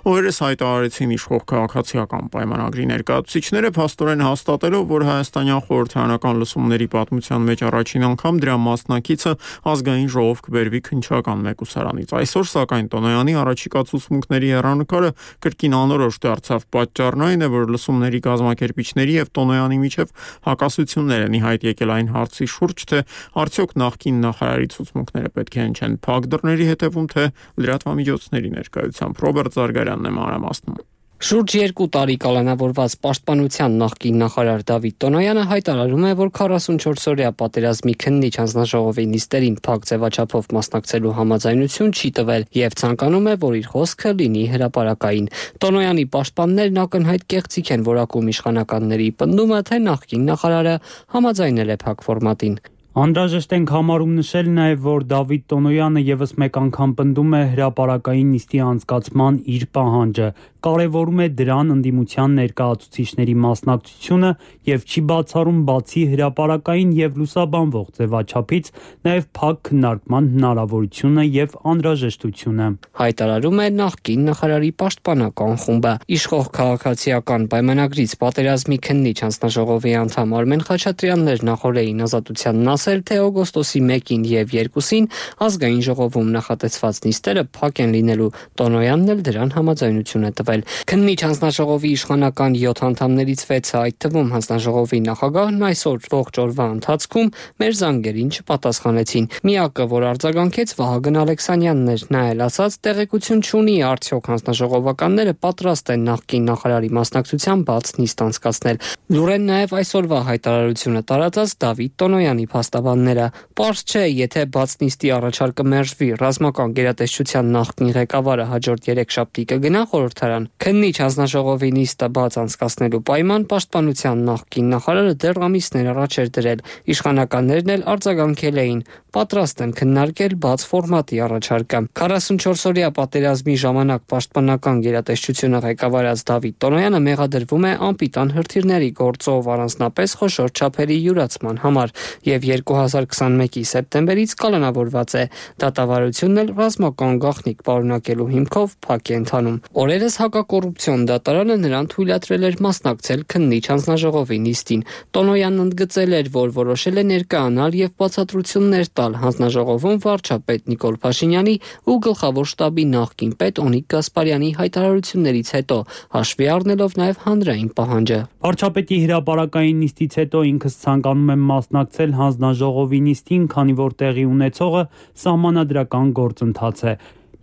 օրերս հայտարարեցին իշխող քաղաքացիական պայմանագրի ներկայացուցիչները, փաստորեն հաստատելով, որ հայաստանյան խորհրդարանական լսումների պատմության մեջ առաջին անգամ դրա մասնակիցը ազգային ժողով կբերվի քննչական մեկուսարանից։ Այսօր սակայն Տոնոյանի առաջիկա ցուցմունքների հեռանկարը կրկին անորոշ դարձավ։ Պատճառն այն է, որ լսումների կազմակերպիչների եւ Տոնոյանի միջև հակասություններ են ի հայտ եկել այն հարցի շուրջ, թե արդյոք նախկին նախարարի ցուցմունքները պետք է հնչեն փակ դռների հետևում, թե լրատվամիջոցների ներկայությամբ։ Ռոբերտ Զարգարյանն է մանրամասնում։
Շուրջ երկու տարի կալանավորված պաշտպանության նախկին նախարար Դավիթ Տոնոյանը հայտարարում է, որ քառասունչորս-օրյա պատերազմի քննիչ հանձնաժողովի նիստերին փակ ձևաչափով մասնակցելու համաձայնություն չի տվել եւ ցանկանում է, որ իր խոսքը լինի հրապարակային։ Տոնոյանի պաշտպաններն ակնհայտ կեղծիք են որակում իշխանականների պնդումը, թե նախկին նախարարը համաձայնել է փակ ֆորմատին։
Անհրաժեշտ ենք համարում նշել նաև, որ Դավիթ Տոնոյանը եւս մեկ անգամ պնդում է հրապարակային նիստի անցկացման իր պահանջը, կարևորում է դրան ընդդիմության ներկայացուցիչների մասնակցությունը եւ չի բացառում բացի հրապարակային եւ լուսաբանվող ձևաչափից նաև փակ քննարկման հնարավորությունը եւ անհրաժեշտությունը։
Հայտարարում է նախկին նախարարի պաշտպանական խումբը։ Իշխող քաղաքացիական պայմանագրից պատերազմի քննիչ հանձնաժողովի անդամ Արմեն Խաչատրյանն նախորդին Ազատությանն ասել, թե օգոստոսի մեկին եւ երկուսին ազգային ժողովում նախատեսված նիստերը փակ են լինելու։ Տոնոյանն էլ դրան համաձայնություն է տվել։ կազմվել։ Քննիչ հանձնաժողովի իշխանական յոթ անդամներից վեցը, այդ թվում հանձնաժողովի նախագահն այսօր ողջ օրվա ընթացքում մեր զանգերին չպատասխանեցին։ Միակը, որ արձագանքեց, Վահագն Ալեքսանյանն էր, նա էլ ասաց, տեղեկություն չունի, արդյոք հանձնաժողովականները պատրաստ են նախկին նախարարի մասնակցությամբ բաց նիստ անցկացնել։ Լուրեն նաև այսօրվա հայտարարությունը տարածած Դավիթ Տոնոյանի փաստաբանները։ Պարզ չէ, եթե բաց նիստի առաջարկը մերժվի, ռազմական գերատեսչության նախկին ղեկավարը հաջորդ երեքշաբթի կգնա խորհրդարան։ Քննիչ հանձնաժողովի նիստը բաց անցկացնելու պայման պաշտպանության նախկին նախարարը դեռ ամիսներ առաջ էր դրել։ Իշխանականներն էլ արձագանքել էին, պատրաստ են քննարկել բաց ֆորմատի առաջարկը։ քառասունչորս օրյա պատերազմի ժամանակ պաշտպանական գերատեսչությունը ղեկավարած Դավիթ Տոնոյանը մեղադրվում է անպիտան հրթիռների գործով, առանձնապես խոշոր չափերի յուրացման համար, եւ երկու հազար քսանմեկի սեպտեմբերից կալանավորված է։ Դատավարությունն էլ ռազմական գաղտնիք պարունակելու հիմքով փակ է ընթանում։ Օրերս հակակոռուպցիոն դատարանը նրան թույլատրել էր մասնակցել քննիչ հանձնաժողովի նիստին։ Տոնոյանն ընդգծել էր, որ որոշել է ներկայանալ եւ բացատրություններ տալ հանձնաժողովում վարչապետ Նիկոլ Փաշինյանի ու գլխավոր շտաբի նախկին պետ Օնիկ Գասպարյանի հայտարարություններից հետո, հաշվի առնելով նաև հանրային պահանջը։
Վարչապետի հրապարակային նիստից հետո ինքս ցանկանում եմ մասնակցել հանձնաժողովի նիստին, քանի որ տեղի ունեցողը սահմանադրական գործընթաց է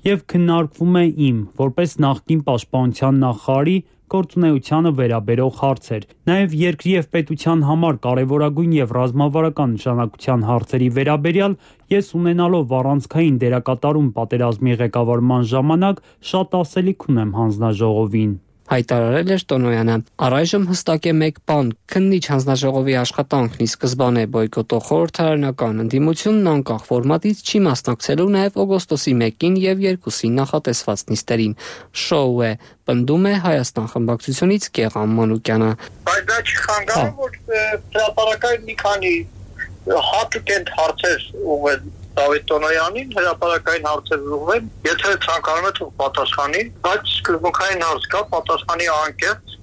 եւ քննարկվում է իմ, որպես նախկին պաշտպանության նախարարի գործունեությանը վերաբերող հարցեր, նաև երկրի եւ պետության համար կարևորագույն եւ ռազմավարական նշանակության հարցերի վերաբերյալ ես ունենալով առանցքային դերակատարում պատերազմի ղեկավարման ժամանակ շատ ասելիք ունեմ հանձնաժողովին։
Հայտարարել էր Տոնոյանը։ Առայժմ հստակ է մեկ բան՝ քննիչ հանձնաժողովի աշխատանքն ի սկզբանե բոյկոտող խորհրդարանական ընդդիմությունն անկախ ֆորմատից չի մասնակցելու նաև օգոստոսի մեկին եւ երկուսին նախատեսված նիստերին։ Շոու է, պնդում է Հայաստան խմբակցությունից Գեղամ Մանուկյանը։
Բայց դա չի խանգարում, որ հրապարակային մի քանի հատուկ են հարցեր ուղղել Դավիթ Տոնոյանին, հրապարակային հարցեր ուղղել, եթե ցանկանում է թող պատասխանի, բայց սկզբունքային հարց կա, պատասխանի անկեղծ,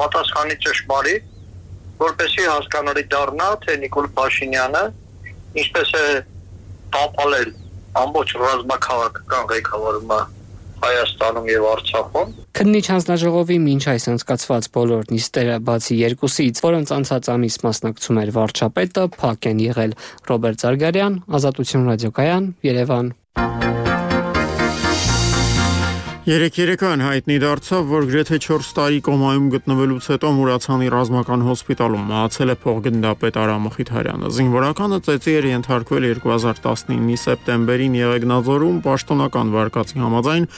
պատասխանի ճշմարիտ, որպեսզի հասկանալի դառնա, թե Նիկոլ Փաշինյանը ինչպես է տապալել ամբողջ ռազմաքաղաքական ղեկավարումը Հայաստանում եւ Արցախում։
Քննիչ հանձնաժողովի մինչ այս անցկացված բոլոր նիստերը, բացի երկուսից, որոնց անցած ամիս մասնակցում էր վարչապետը, փակ են եղել։ Ռոբերտ Զարգարյան, Ազատություն ռադիոկայան, Երևան։
Երեք երեկոյան հայտնի դարձավ, որ գրեթե չորս տարի կոմայում գտնվելուց հետո Մուրացանի ռազմական հոսպիտալում մահացել է փոխգնդապետ Արամ Մխիթարյանը։ Զինվորականը ծեծի էր ենթարկվել երկու հազար տասնինի սեպտեմբերին Եղեգնաձորում պաշտոնական վարկածի համաձայն,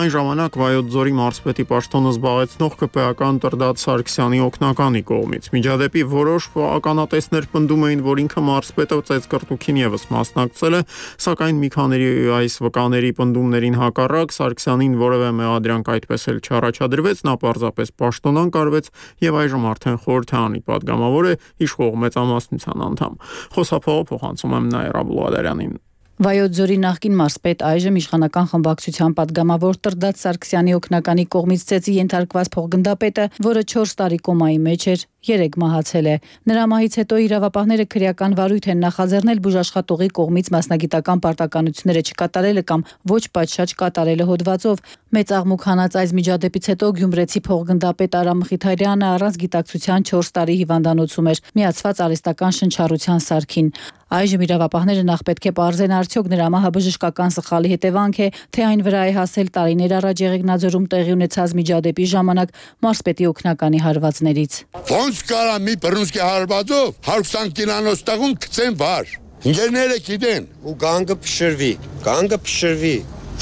այն ժամանակ Վայոց ձորի մարզպետի պաշտոնը զբաղեցնող ԿՊԱ-ական Տրդատ Սարգսյանի օգնականի կողմից։ Միջադեպի որոշ ականատեսներ պնդում էին, որ ինքը մարզպետը ծեծկռտուքին եւս մասնակցել է, սակայն մի քանի այս վկաների պնդումներին հակառակ Սարգսյանին որևէ մեղադրանք այդպես էլ չառաջադրվեց, նա պարզապես պաշտոնանկ արվեց եւ այժմ արդեն խորհրդարանի падգամավոր է, իշխող մեծամասնության անդամ։ Խոսափողը փոխանցում եմ Նաիրա Բուլղադարյանին։
Վայոց ձորի նախկին մարզպետ, այժմ իշխանական խմբակցության падգամավոր Տրդատ Սարգսյանի օգնականի կողմից ծեծի ենթարկված փոխգնդապետը, որը չորս տարի կոմայի մեջ էր, երեք մահացել է։ Նրա մահից հետո իրավապահները քրեական վարույթ են նախաձեռնել բուժաշխատողի կողմից մասնագիտական պարտականությունները չկատարելը կամ ոչ պատշաճ կատարելը հոդվածով։ Մեծ աղմուկ հանած այս միջադեպից հետո գյումրեցի փոխգնդապետ Արամ Մխիթարյանը առանց գիտակցության չորս տարի հիվանդանոցում էր, միացված արհեստական շնչառության սարքին։ Այժմ իրավապահները նախ պետք է պարզեն, արդյոք նրա մահը բժշկական սխալի հետևանք է, թե այն վրա է հասել տարիներ առաջ Եղեգնաձորում տեղի ունեցած միջադեպի ժամանակ մարզպետի օգնականի հարվածներից։
Ոնց կարա մի բռունցքի հարվածով հարյուր քսան կիլոնոց տղուն գցեն վար։ Ինժեները գիտեն ու գանգը փշրվի, գանգը փշրվի։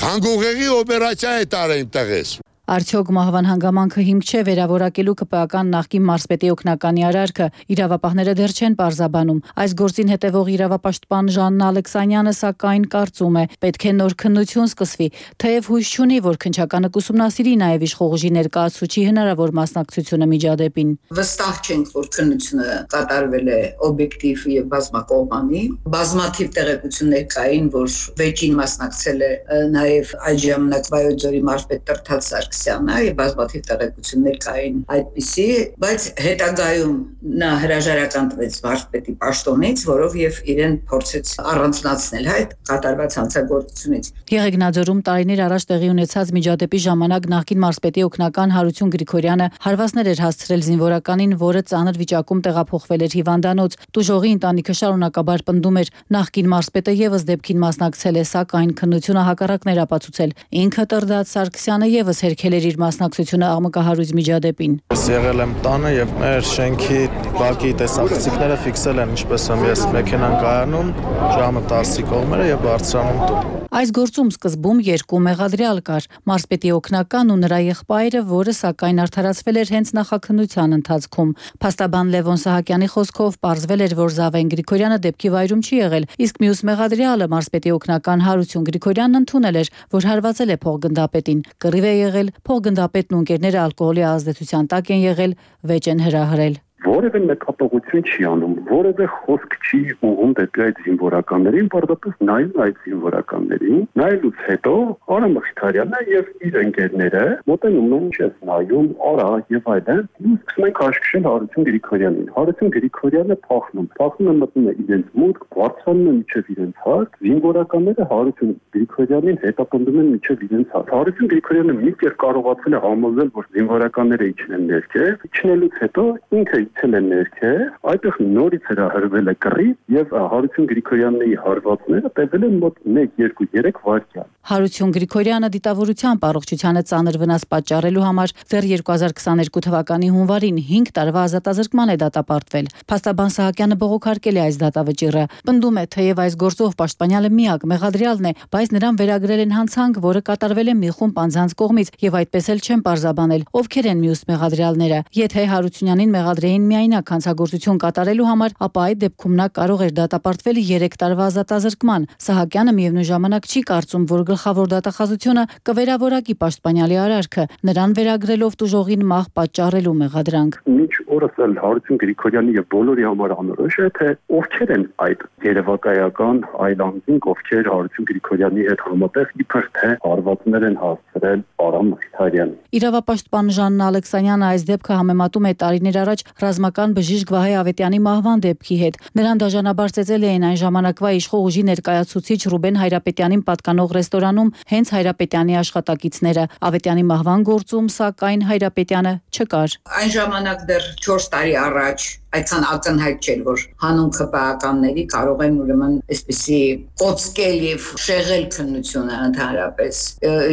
Հանգուղեղի օպերացիա է տարել տղես։
Արդյոք մահվան հանգամանքը հիմք չէ վերավորակելու ԿՊԱ-ական նախկին մարզպետի օգնականի արարքը, իրավապահները դեռ չեն պարզաբանում։ Այս գործին հետևող իրավապաշտպան Ժաննա Ալեքսանյանը սակայն կարծում է, պետք է նոր քննություն սկսվի, թեև հույս չունի, որ քննչականը կուսումնասիրի նաև իշխող ուժի ներկայացուցիչի հնարավոր մասնակցությունը միջադեպին։
Վստահ չենք, որ քննությունը կատարվել է օբյեկտիվ եւ բազմակողմանի։ Բազմաթիվ տեղեկություններ կային, որ վեճին մասնակցել է նաև այդ ժամանակ Վայոց ձորի մարզպետ Տրդատ Սարգսյանը, Սարգսյանը եւ բազմաթիվ տեղեկություններ կային այդպիսի, բայց հետագայում նա հրաժարական տվեց վարչպետի պաշտոնից, որով եւ իրեն փորձեց առանձնացնել այդ կատարված հանցագործությունից։
Եղեգնաձորում տարիներ առաջ տեղի ունեցած միջադեպի ժամանակ նախկին մարզպետի օգնական Հարություն Գրիգորյանը հարվածներ էր հասցրել զինվորականին, որը ծանր վիճակում տեղափոխվել էր հիվանդանոց։ Տուժողի ընտանիքը շարունակաբար պնդում էր, նախկին մարզպետը եւս դեպքին մասնակցել է, սակայն քննությունը հակառակն էր ապացուցել։ Ինքը Տրդատ Սարգսյանը եւս հերքել էր իր մասնակցությունը աղմկահարույց միջադեպին։
Ես եղել եմ տանը եւ մեր շենքի բակի տեսախցիկները ֆիքսել են, ինչպես եմ ես մեքենան կայանում, ժամը տասի կողմերը եւ բարձրանում տուն։
Այս գործում սկզբում երկու մեղադրյալ կար՝ մարզպետի օգնական ու նրա եղբայրը, որը սակայն արդարացվել էր հենց նախաքննության ընթացքում։ Փաստաբան Լևոն Սահակյանի խոսքով պարզվել էր, որ Զավեն Գրիգորյանը դեպքի վայրում չի եղել, իսկ մյուս մեղադրյալը մարզպետի օգնական Հարություն Գրիգորյանն ընդունել էր, որ հարվածել է փոխգնդապետին։ Կռիվ է եղել, փոխգնդապետն ու ընկերները ալկոհոլի ազդեցության տակ են եղել, վեճ են հրահրել։
Որևէ մեկապողություն չի անում, որևէ խոսք չի ուղղում դեպի այդ զինվորականներին, պարզապես նայում այդ զինվորականներին, նայելուց հետո Արամ Մխիթարյանը եւ իր ընկերները մոտենում են, չես նայում, արա եւ այլն, ու սկսում են քաշքշել Հարություն Գրիգորյանին։ Հարություն Գրիգորյանը փախնում, փախնում է մտնում է իրենց մուտք, բարձրանում է միջև իրենց հարկ, զինվորականները Հարություն Գրիգորյանին հետապնդում են միջև իրենց հարկ։ Հարություն Գրիգորյանը մի կերպ կարողացել է համոզել, որ զինվորականները իջնեն ներքև, իջնելուց հետո ինքը ցել են ներքև, այդտեղ նորից հրահրվել է կռիվ եւ Հարություն Գրիգորյանի հարվածները տևել են մոտ մեկ, երկու, երեք վայրկյան։
Հարություն Գրիգորյանը դիտավորությամբ առողջությանը ծանր վնաս պատճառելու համար դեռ երկու հազար քսաներկու թվականի հունվարին հինգ տարվա ազատազրկման է դատապարտվել։ Փաստաբան Սահակյանը բողոքարկել է այս դատավճիռը։ Պնդում է, թեև այս գործով պաշտպանյալը միակ մեղադրյալն է, բայց նրան վերագրել են հանցանք, որը կատարվել է մի խումբ անձանց կողմից եւ այդպես էլ չեն պարզաբանել ովքեր են մյուս մեղադրյալները։ Եթե Հարությունյանին մեղադրեին միայնակ հանցագործություն կատարելու համար, ապա այդ դեպքում նա կարող էր դատապարտվել երեք տարվա ազատազրկման։ Սահակյանը միևնույն ժամանակ չի կարծում, որ գլխավոր դատախազությունը կվերավորակի պաշտպանյալի արարքը, նրան վերագրելով տուժողին մահ պատճառելու մեղադրանք։
Մինչ օրս էլ Հարություն Գրիգորյանի եւ բոլորի համար անորոշ է, թե ովքեր են այդ երևակայական այլ անձինք, ովքեր Հարություն Գրիգորյանի հետ համատեղ իբր թե հարվածներ են հասցրել Արամ Մխիթարյանին։
Իրավապաշտպան Ժաննա Ալեքսանյանը այս դեպքը համեմատում է տարիներ առաջ ռազմական բժիշկ Վահե Ավետյանի մահվան դեպքի հետ։ Նրան դաժանաբար ծեծել էին այն ժամանակվա իշխող ուժի ներկայացուցիչ Ռուբեն Հայրապետյանին պատկանող ռեստորանում հենց Հայրապետյանի աշխատակիցները։ Ավետյանի մահվան գործում սակայն Հայրապետյանը չկար։
Այն ժամանակ դեռ չորս տարի առաջ այդքան ակնհայտ չէր, որ հանուն քպականների կարող են ուրեմն այսպիսի կոծկել եւ շեղել քննությունը ընդհանրապես։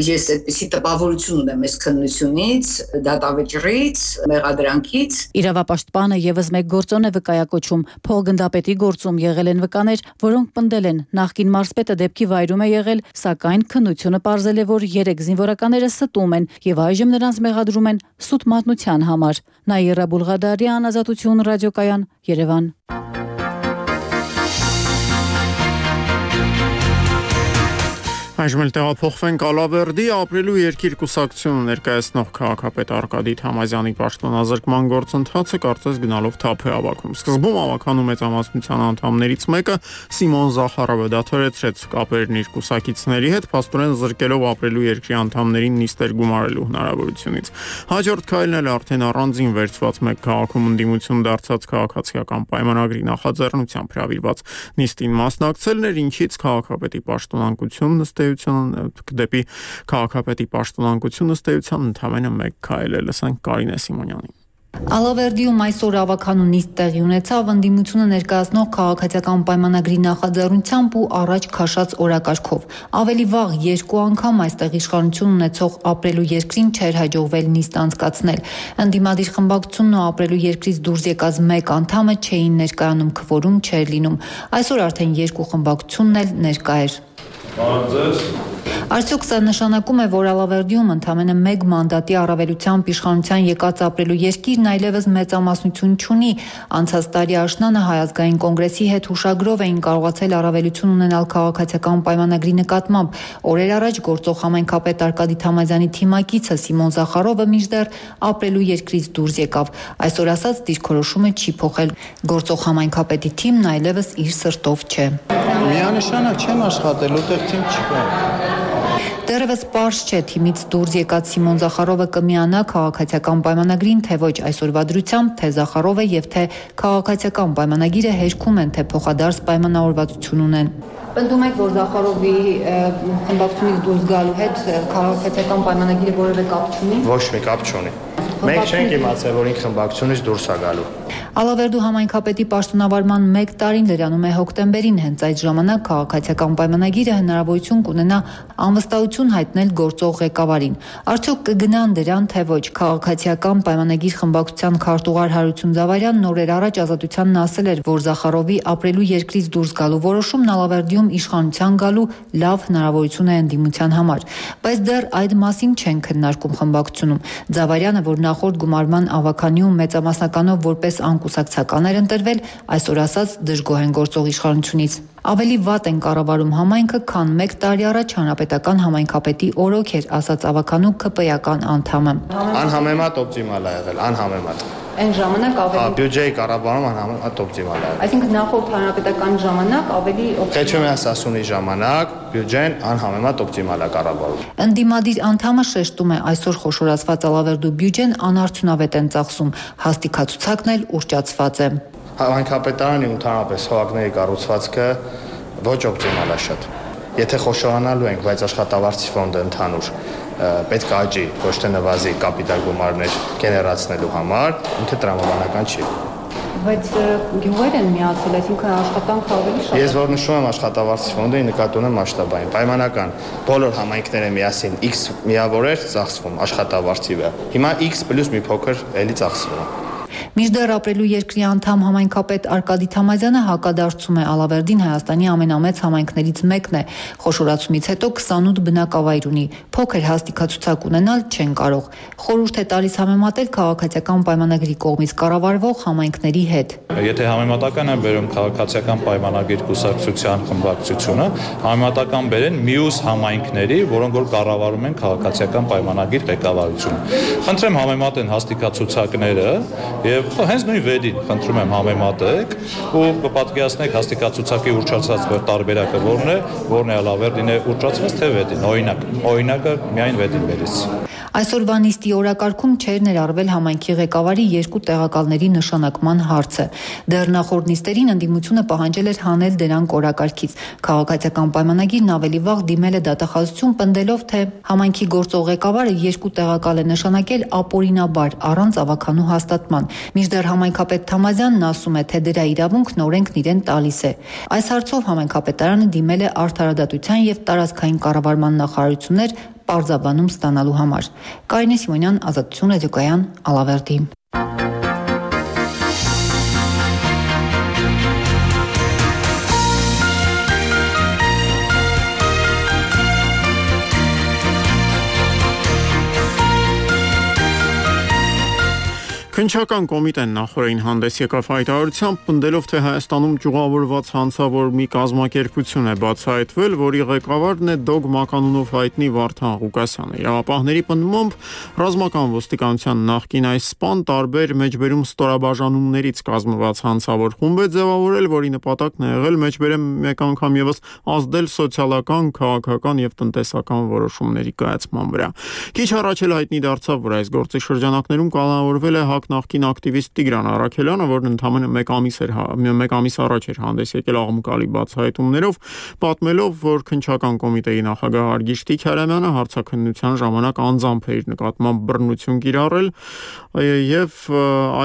Ես այդպիսի տպավորություն ունեմ այս քննությունից, դատավճռից, մեղադրանքից։
Իրավապաշտպանը եւս մեկ գործոն է վկայակոչում։ Փոխգնդապետի գործում եղել են վկաներ, որոնք պնդել են նախկին մարզպետը դեպքի վայրում է եղել, սակայն քննությունը պարզել է, որ երեք զինվորականները ստում են եւ այժմ նրանց մեղադրում են սուտ մատնության համար։ Նաիրա Բուլղադարյան, Ազատություն ռադիոկայան, Երևան։
Այժմ էլ տեղափոխվենք Ալավերդի ապրելու երկիր կուսակցությունը ներկայացնող քաղաքապետ Արկադի Թամազյանի պաշտոնազրկման գործընթացը կարծես գնալով թափ է ավակում։ Սկզբում ավականու մեծամասնության անդամներից մեկը Սիմոն Զախարովը դադարեցրեց կապերն իր կուսակիցների հետ, փաստորեն զրկելով ապրելու երկրի անդամներին նիստեր գումարելու հնարավորությունից։ Հաջորդ քայլն էլ արդեն առանձին վերցված մեկ քաղաքում ընդդիմություն դարձած քաղաքացիական պայմանագրի նախաձեռնությամբ հրավիրված նիստին մասնակցելն էր, ինչից քաղաքապետի պաշտոնանկությունն ըստ դեպի քաղաքապետի պաշտոնանկությունը ըստ էության ընդամենը մեկ քայլ է։ Լսենք Կարինե Սիմոնյանին։
Ալավերդիում այսօր ավականու նիստ տեղի ունեցավ ընդդիմությունը ներկայացնող քաղաքացիական պայմանագրի նախաձեռնությամբ ու առաջ քաշած օրակարգով։ Ավելի վաղ երկու անգամ այստեղ իշխանություն ունեցող ապրելու երկրին չէր հաջողվել նիստ անցկացնել։ Ընդդիմադիր խմբակցությունն ու ապրելու երկրից դուրս եկած մեկ անդամը չէին ներկայանում, քվորում չէր լինում։ Այսօր արդեն երկու խմբակցությունն էլ ներկա էր։ Արդյոք սա նշանակում է, որ Ալավերդիում ընդամենը մեկ մանդատի առավելությամբ իշխանության եկած ապրելու երկիրն այլևս մեծամասնություն չունի։ Անցած տարի աշնանը Հայ ազգային կոնգրեսի հետ հուշագրով էին կարողացել առավելություն ունենալ քաղաքացիական պայմանագրի նկատմամբ։ Օրեր առաջ գործող համայնքապետ Արկադի Թամազյանի թիմակիցը Սիմոն Զախարովը մինչդեռ ապրելու երկրից դուրս եկավ։ Այսօր ասած դիրքորոշումը չի փոխել։ Գործող համայնքապետի թիմն այլևս իր սրտով չէ։
Միանշանակ չեմ աշխատել, ուտեղ թիմ չկա։
Դեռևս պարզ չէ թիմից դուրս եկած Սիմոն Զախարովը կմիանա քաղաքացիական պայմանագրին, թե ոչ այսօրվա դրությամբ, թե Զախարովը եւ թե քաղաքացիական պայմանագիրը հերքում են, թե փոխադարձ պայմանավորվածություն ունեն։ Պնդում եք, որ Զախարովի խմբակցությունից դուրս գալու հետ քաղաքացիական պայմանագիրը որևէ կապ չունի։
Ոչ մի կապ չունի։ Մենք չենք իմացել, որ ինքը խմբակցությունից դուրս է գալու։
Ալավերդու համայնքապետի պաշտոնավարման մեկ տարին լրանում է հոկտեմբերին, հենց այդ ժամանակ քաղաքացիական պայմանագիրը հնարավորություն կունենա անվստահություն հայտնել գործող ղեկավարին։ Արդյոք կգնան դրան, թե ոչ։ Քաղաքացիական պայմանագիր խմբակցության քարտուղար Հարություն Զավարյանն օրեր առաջ Ազատությանն ասել էր, որ Զախարովի ապրելու երկրից դուրս գալու որոշումն Ալավերդիում իշխանության գալու լավ հնարավորություն է ընդդիմության համար։ Բայց դեռ այդ մասին չեն քննարկում խմբակցությունում։ Զավարյանը, որ նախորդ գումարման ավականիում մեծամասնականով որպես անկուսակցական էր ընտրվել, այսօր ասած դժգոհ են գործող իշխանությունից։ Ավելի վատ են կառավարում համայնքը, քան մեկ տարի առաջ հանրապետական համայնքապետի օրոք էր, ասաց ավականու ԿՊ-ական անդամը։
Անհամեմատ օպտիմալ է եղել, անհամեմատ։
Այն ժամանակ ավելի
բյուջեի կառավարումը անհամեմատ օպտիմալ է եղել։
Այսինքն նախորդ հանրապետական ժամանակ ավելի
Խեչոմյան Սասունի ժամանակ բյուջեն անհամեմատ օպտիմալ է կառավարում։
Ընդդիմադիր անդամը շեշտում է, այսօր խոշորացված Ալավերդու բյուջեն անարդյունավետ են ծախսում, հաստիքացուցակն էլ ուռճացված է։
Համայնքապետարանի ընդհանրապես հողակների կառուցվածքը ոչ օպտիմալ է շատ։ Եթե խոշորանալու ենք, բայց աշխատավարձի ֆոնդը ընդհանուր պետք է աճի, ոչ թե նվազի կապիտալ գումարներ գեներացնելու համար, ինքը տրամաբանական չի։
Բայց գյուղեր են միացել, այսինքն աշխատանքը ավելի շատ։
Ես որ նշում եմ աշխատավարձի ֆոնդը, նկատի ունեմ մասշտաբային, պայմանական բոլոր համայնքները միասին X միավորեր ծախսվում աշխատավարձի վրա։ Հիմա X պլյուս մի փոքր էլի ծախսվում է։
Մինչդեռ ապրելու երկրի անդամ համայնքապետ Արկադի Թամազյանը հակադարձում է Ալավերդին Հայաստանի ամենամեծ համայնքներից մեկն է։ Խոշորացումից հետո քսանութ բնակավայր ունի, փոքր հաստիքացուցակ ունենալ չեն կարող։ Խորհուրդ է տալիս համեմատել քաղաքացիական պայմանագրի կողմից կառավարվող համայնքների հետ։
Եթե համեմատական են բերում քաղաքացիական պայմանագիր կուսակցության խմբակցությունը, համեմատական բերեն մյուս համայնքների, որոնք որ կառավարում են քաղաքացիական պայմանագիր ղեկավարությունը։ Խնդրեմ համեմատեն հաստիքացուցակները եւ հենց նույն վեդին խնդրում եմ համեմատեք ու կպատկերացնեք հաստիքացուցակի ուռճացած տարբերակը որն է, որն է Ալավերդին է ուռճացված թե վեդին։ Օրինակ, օրինակը միայն վեդին բերից։
Այսօրվա նիստի օրակարգում չէր ներառվել համայնքի ղեկավարի երկու տեղակալների նշանակման հարցը։ Դեռ նախորդ նիստերին ընդդիմությունը պահանջել էր հանել դրանք օրակարգից։ Քաղաքացիական պայմանագիրն ավելի վաղ դիմել է դատախազություն, պնդելով, թե համայնքի գործող ղեկավարը երկու տեղակալ է նշանակել ապօրինաբար, առանց ավականու հաստատման։ Մինչդեռ համայնքապետ Թամազյանն ասում է, թե դրա իրավունքն օրենքն իրեն տալիս է։ Այս հարցով համայնքապետարանը դիմել է Արդարադատության եւ տարածքային կառավարման նախարարություններ պարզաբանում ստանալու համար։ Կարինե Սիմոնյան, Ազատություն ռադիոկայան, Ալավերդի։
Քննչական կոմիտեն նախորդին հանդես եկավ հայտարարությամբ, պնդելով, թե Հայաստանում ճյուղավորված հանցավոր մի կազմակերպություն է բացահայտվել, որի ղեկավարն է Դոգ մականունով հայտնի Վարդան Ղուկասյանը։ Իրավապահների պնդմամբ ռազմական ոստիկանության նախկին այս սպան տարբեր մեջբերում ստորաբաժանումներից կազմված հանցավոր խումբ է ձևավորել, որի նպատակն է եղել մեջբերեմ մեկ անգամ եւս ազդել սոցիալական, քաղաքական եւ տնտեսական որոշումների կայացման վրա։ Քիչ առաջ էլ հայտնի դարձավ, որ այս գործի շրջանակներում կանոնավորվել է նախկին ակտիվիստ Տիգրան Առաքելյանը, որն ընդամենը մեկ ամիս էր մեկ ամիս առաջ էր հանդես եկել աղմկալի բացահայտումներով, պատմելով, որ քննչական կոմիտեի նախագահ Արգիշ Տիգրամյանը հարցաքննության ժամանակ անձամբ է իր նկատմամբ բռնություն կիրառել եւ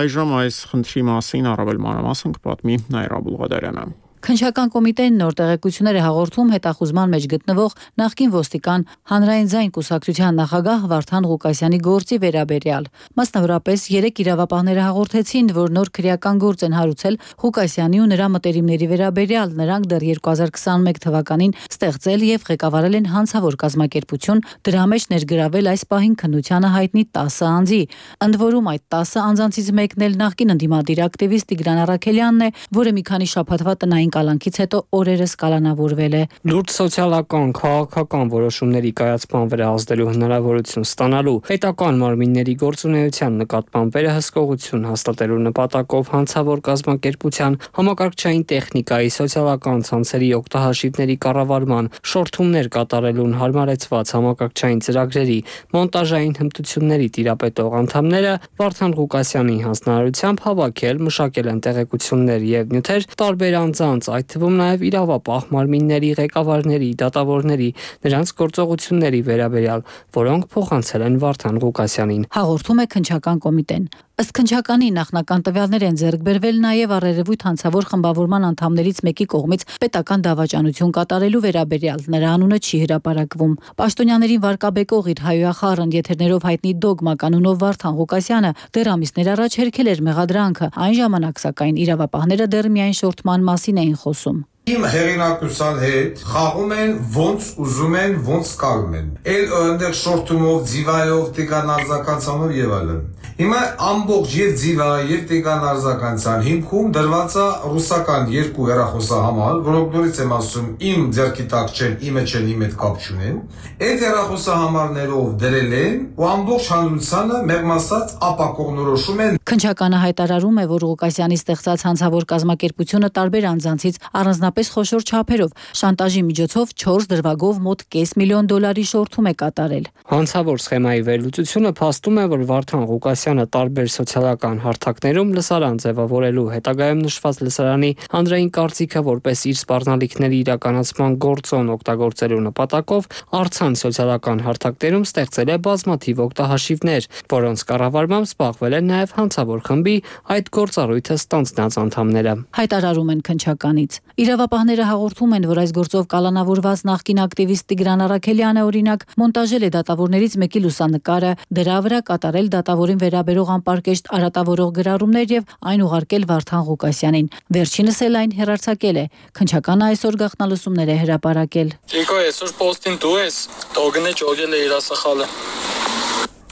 այժմ այս խնդրի մասին առավել մանրամասն կպատմի Նաիրա Բուլղադարյանը։
Քննչական կոմիտեն նոր տեղեկություններ է հաղորդում հետախուզման մեջ գտնվող նախկին ոստիկան հանրային ձայն կուսակցության նախագահ Վարդան Ղուկասյանի գործի վերաբերյալ։ Մասնավորապես երեք իրավապահները հաղորդեցին, որ նոր քրեական գործ են հարուցել Ղուկասյանի ու նրա մտերիմների վերաբերյալ։ Նրանք դեռ երկու հազար քսանմեկ թվականին ստեղծել եւ ղեկավարել են հանցավոր կազմակերպություն, դրա մեջ ներգրավել այս պահին քննությանը հայտնի տասը անձի։ Ընդ որում այդ տասը անձանցից մեկն էլ նախկին ընդդիմադիր ակտիվիստ Տիգրան Առաքելյանն է, որը մի քանի շաբաթվա տնային կալանքից հետո օրերս կալանավորվել է։
Լուրջ սոցիալական, քաղաքական որոշումների կայացման վրա ազդելու հնարավորություն ստանալու, պետական մարմինների գործունեության նկատմամբ վերահսկողություն հաստատելու նպատակով հանցավոր կազմակերպության, համակարգչային տեխնիկայի, սոցիալական ցանցերի օգտահաշիվների կառավարման, շորթումներ կատարելուն հարմարեցված համակարգչային ծրագրերի, մոնտաժային հմտությունների տիրապետող անդամները Վարդան Ղուկասյանի հանձնարարությամբ հավաքել, մշակել են տեղեկություններ եւ նյութեր տարբեր անձանց, այդ թվում նաեւ իրավապահ մարմինների ղեկավարների, դատավորների, նրանց գործողությունների վերաբերյալ, որոնք փոխանցել են Վարդան Ղուկասյանին։
Հաղորդում է քննչական կոմիտեն։ Ըստ քննչականի նախնական տվյալներ են ձեռք բերվել նաև առերևույթ հանցավոր խմբավորման անդամներից մեկի կողմից պետական դավաճանություն կատարելու վերաբերյալ, նրա անունը չի հրապարակվում։ Պաշտոնյաներին վարկաբեկող իր հայոյախառն եթերներով հայտնի դոգմա կանոնով Վարդան Ղուկասյանը դեռ ամիսներ առաջ հերքել էր մեղադրանքը, այն ժամանակ սակայն իրավապահները դեռ միայն շորթման մասին էին խոսում։
Իմ հեղինակության հետ խաղում են ոնց ուզում են, ոնց կարում են։ Էլ այնտեղ շորթումով, ձիվայով, տիկան արձականցանով եւ այլն։ Հիմա ամբողջ եւ ձիվա եւ տիկան արձականցան հիմքում դրված է ռուսական երկու հեռախոսահամար, որոնք նորից եմ ասում, իմ ձեռքի տակ չեն, իմը չեն, իմ հետ կապ չունեն։ Այդ հեռախոսահամարներով դրել են ու ամբողջ հանրությանը մեղմ ասած ապակողնորոշում են։
Քննչականը հայտարարում է, որ Ղուկասյանի ստեղծած հանցավոր կազմակերպությունը տարբեր անձանցից առանձնապես խոշոր չափերով շանտաժի միջոցով չորս դրվագով մոտ կես միլիոն դոլարի շորթում է կատարել։
Հանցավոր սխեմայի վերլուծությունը փաստում է, որ Վարդան Ղուկասյանը տարբեր սոցիալական հարթակներում լսարան ձևավորելու, հետագայում նշված լսարանի հանրային կարծիքը որպես իր սպառնալիքների իրականացման գործոն օգտագործելու նպատակով առցանց սոցիալական հարթակներում ստեղծել է բազմաթիվ օգտահաշիվներ, որոնց կառավարմամբ զբաղվել են նաև հանցավոր խմբի այդ գործառույթը ստանձնած անդամները։
Հայտարարում են քննչականից։ Իրավապահները հաղորդում են, որ այս գործով կալանավորված նախկին ակտիվիստ Տիգրան Առաքելյանը օրինակ մոնտաժել է դատավորներից մեկի լուսանկարը, դրա վրա կատարել դատավորին վերաբերող անպարկեշտ արատավորող գրառումներ եւ այն ուղարկել Վարդան Ղուկասյանին։ Վերջինս էլ այն հեռարձակել է։ Քննչականը այսօր գաղտնալսումներ է հրապարակել։
Ճիկո, այսօր պոստին դու ես, տոգնե ճոգել է իր ասախալը։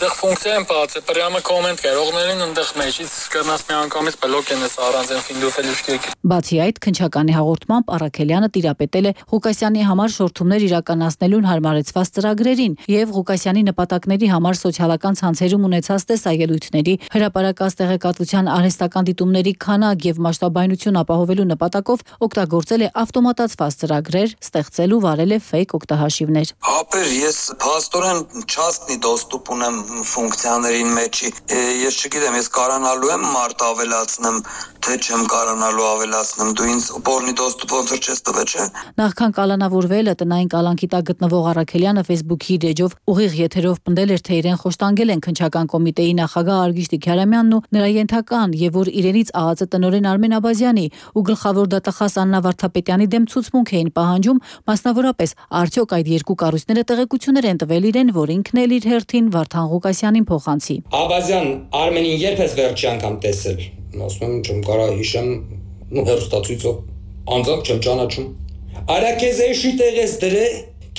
Դեռ ֆունկցիա եմ բացը, պրյամը կոմենտ կարողներին ընդեղ մեջից կրնաս մի անգամից բլոկ են ես առանց են ֆինդուֆել ուշկեք։
Բացի այդ, քննչականի հաղորդմամբ Առաքելյանը տիրապետել է Ղուկասյանի համար շորթումներ իրականացնելուն հարմարեցված ծրագրերին եւ Ղուկասյանի նպատակների համար սոցիալական ցանցերում ունեցած տեսայելույթների, հրապարակած տեղեկատվության արհեստական դիտումների քանակ եւ մասշտաբայնություն ապահովելու նպատակով օգտագործել է ավտոմատացված ծրագրեր, ստեղծել ու վարել է ֆեյք օգտահաշիվներ։
Ապեր ես փաստորեն չաստնի դոստուպ ունեմ ֆունկցիաներին մեջի, ես չգիտեմ, ես կարանալու եմ մարդ ավելացնեմ, թե չեմ կարանալու ավելացնեմ, դու ինձ բորնի դոստուպ ոնց որ չես տվել, չէ։
Նախքան կալանավորվելը տնային կալանքի տակ գտնվող Առաքելյանը Facebook-ի իր էջով ուղիղ եթերով պնդել էր, թե իրեն խոշտանգել են քննչական կոմիտեի նախագահ Արգիշ Տիգրամյանն ու նրա ենթական եւ որ իրենից ԱԱԾ տնօրեն Արմեն Աբազյանի ու գլխավոր դատախազ Աննա Վարդապետյանի դեմ ցուցմունք էին պահանջում, մասնավորապես արդյոք այդ երկու կառույցները տեղեկություններ են տվել իրեն, որ ինքն էլ իր հերթին Վարդան Ղուկասյանին փոխանցի։
Աբազյան Արմենին երբ ես վերջի անգամ տեսել։ Ասում եմ, չեմ կարող հիշեմ, ու հերոստացույցով անձամբ չեմ ճանաչում։ Արա քեզ էշի տեղես դրե,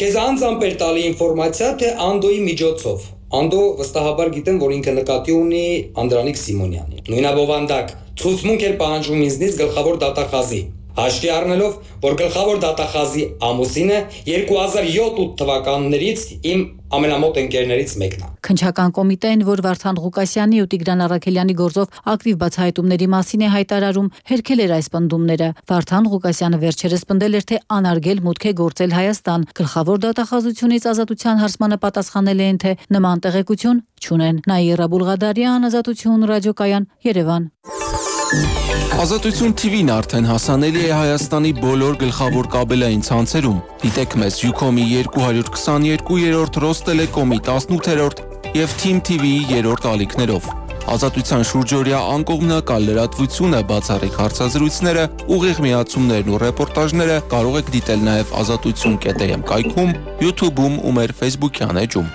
քեզ անձամբ էր տալի ինֆորմացիա, թե Անդոյի միջոցով։ Անդո վստահաբար գիտեմ, որ ինքը նկատի ունի Անդրանիկ Սիմոնյանին։ Նույնաբովանդակ ցուցմունք էր պահանջում ինձնից գլխավոր դատախազի։ Հաշվի առնելով, որ գլխավոր դատախազի ամուսինը երկու հազար յոթ թվականներից իմ ամենամոտ ընկերներից մեկն է։
Քննչական կոմիտեն, որ Վարդան Ղուկասյանի ու Տիգրան Առաքելյանի գործով ակտիվ բացահայտումների մասին է հայտարարում, հերքել էր այս պնդումները։ Վարդան Ղուկասյանը վերջերս պնդել էր, թե անարգել մուտք է գործել Հայաստան։ Գլխավոր դատախազությունից ազատության հարցմանը պատասխանել են, թե նման տեղեկություն չունեն։ Նաիրա Բուլղադարյան, Ազատություն ռադիոկայան, Երևան։
Ազատություն թիվին արդեն հասանելի է Հայաստանի բոլոր գլխավոր կաբելային ցանցերում։ Դիտեք մեզ Ucom-ի երկու հարյուր քսաներկու-րդ, Ռոստելեկոմի տասնութերորդ եւ Team T V-ի երրորդ ալիքներով։ Ազատության շուրջօրյա անկողմնակալ լրատվությունը, բացառիկ հարցազրույցները, ուղիղ միացումներն ու ռեպորտաժները կարող եք դիտել նաև ազատություն կետ am կայքում, YouTube-ում ու մեր Facebook-յան էջում։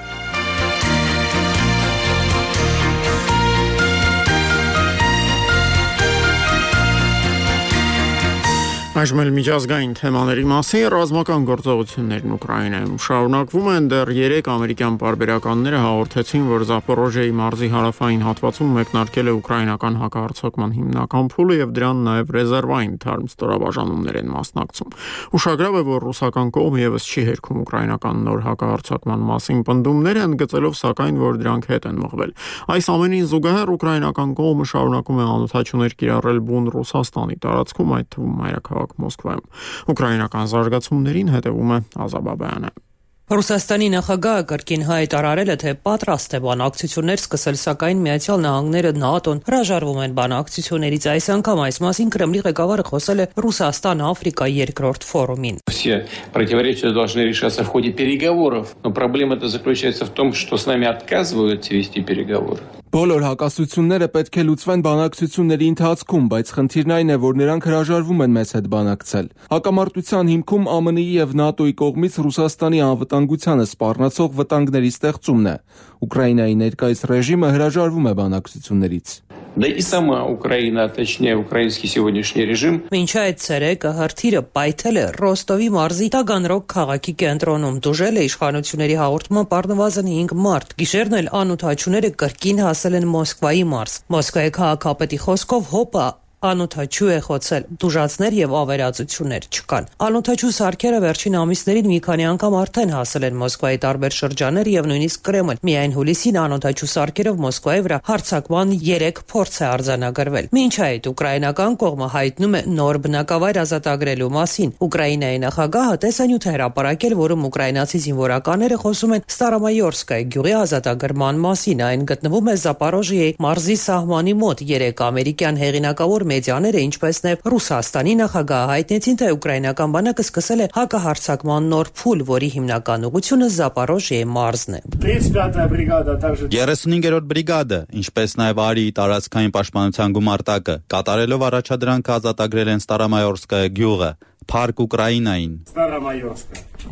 Այժմ էլ միջազգային թեմաների մասին ռազմական գործողություններն Ուկրաինայում շարունակվում են։ Դեռ երեք ամերիկյան պարբերականները հաղորդեցին, որ Զապորոժիայի մարզի հարավային հատվածում մեկնարկել է ուկրաինական հակահարձակման հիմնական փուլը եւ դրան նաեւ ռեզերվային թարմ ստորաբաժանումներ են մասնակցում։ Ուշագրավ է, որ ռուսական կողմը եւս չի հերքում ուկրաինական նոր հակահարձակման մասին պնդումներ, ընդգծելով սակայն, որ դրանք հետ են մղվել։ Այս ամենին զուգահեռ ուկրաինական կողմը շարունակում է անօթաչուներ կիրառել բուն Ռուսաստանի տարածքում, այդ թվում մայրաքաղաք Մոսկվայում։ Ուկրաինական զարգացումներին հետևում է Ազաբաբյանը։
Ռուսաստանի նախագահը կրկին հայտարարել է, թե պատրաստ է բանակցություններ սկսել, սակայն Միացյալ Նահանգները, ՆԱՏՕ-ն հրաժարվում են բանակցություններից։ Այս անգամ այս մասին Կրեմլի ղեկավարը խոսել է Ռուսաստան-Աֆրիկա երկրորդ ֆորումին։
Все противоречия должны решаться в ходе переговоров, но проблема-то заключается в том, что с нами отказываются вести переговоры.
Բոլոր հակասությունները պետք է լուծվեն բանակցությունների ընթացքում, բայց խնդիրն այն է, որ նրանք հրաժարվում են մեզ հետ բանակցել։ Հակամարտության հիմքում ԱՄՆ-ի եւ ՆԱՏՕ-ի կողմից Ռուսաստանի անվտանգությանը սպառնացող վտանգների ստեղծումն է։ Ուկրաինայի ներկայիս ռեժիմը հրաժարվում է բանակցություններից։
Да и сама Украина, точнее украинский сегодняшний режим.
Մինչ այդ ցերեկը հրթիռը պայթել է Ռոստովի մարզի Տագանրոգ քաղաքի կենտրոնում, դուժել է իշխանությունների հաղորդման առնվազն հինգ մարդ։ Գիշերն էլ անօթաչուները կրկին հասել են Մոսկվայի մարզ։ Մոսկվայի քաղաքապետի խոսքով հոպը անօթաչու է խոցել, դուժացներ եւ ավերածություններ չկան։ Անօթաչու սարքերը վերջին ամիսներին մի քանի անգամ արդեն հասել են Մոսկվայի տարբեր շրջաններ եւ նույնիսկ Կրեմլ։ Միայն հուլիսին անօթաչու սարքերով Մոսկվայի վրա հարձակման երեք փորձ է արձանագրվել։ Մինչ այդ ուկրաինական կողմը հայտնում է նոր բնակավայր ազատագրելու մասին։ Ուկրաինայի նախագահը տեսանյութ է հրապարակել, որում ուկրաինացի զինվորականները խոսում են Ստարամայորսկայ գյուղի ազատագրման մասին։ Այն գտնվում է Զապորոժիայի մարզի սահմանի մոտ։ Երեք ամերիկյան հեղինակավոր մեդիաները, ինչպես նաև Ռուսաստանի նախագահը հայտնեցին, թե ուկրաինական բանակը սկսել է հակահարձակման նոր փուլ, որի հիմնական ուղղությունը Զապորոժիայի մարզն է։
երեսունհինգերորդ բրիգադը, ինչպես նաև Արիի տարածքային պաշտպանության գումարտակը, կատարելով առաջադրանքը ազատագրել են Ստարամայորսկայ գյուղը, Փարք Ուկրաինային։